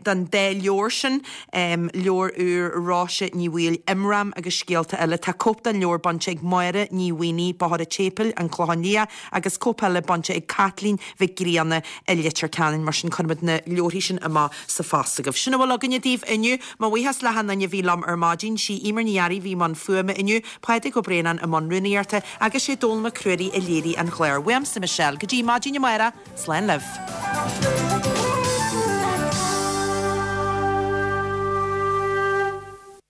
don dá leabhar sin, leabhar úr Róise Ní Bhaoill, Imram agus Scéalta Eile. Tá cóip den leabhar bainte ag Máire Ní Mhaonaigh, Bóthar an tSéipéil, An Clochán Liath, agus cóip eile bainte ag Caitlín Mhic Grianna i Leitir Ceanainn. Mar sin, cuirfimid na leabharthaí sin amach sa phost agaibh. Sin a bhfuil againne daoibh inniu. Mo bhuíochas le hachan duine a bhí liom ar maidin. Sí Emer Ní Fhearraigh a bhí i mbun fuaime inniu, Pádraig Ó Braonáin i mbun rúnaíochta agus sé Dónall Mac Ruairí a léirigh an clár. Uaimse Michelle, go dtí maidin amárach, slán libh.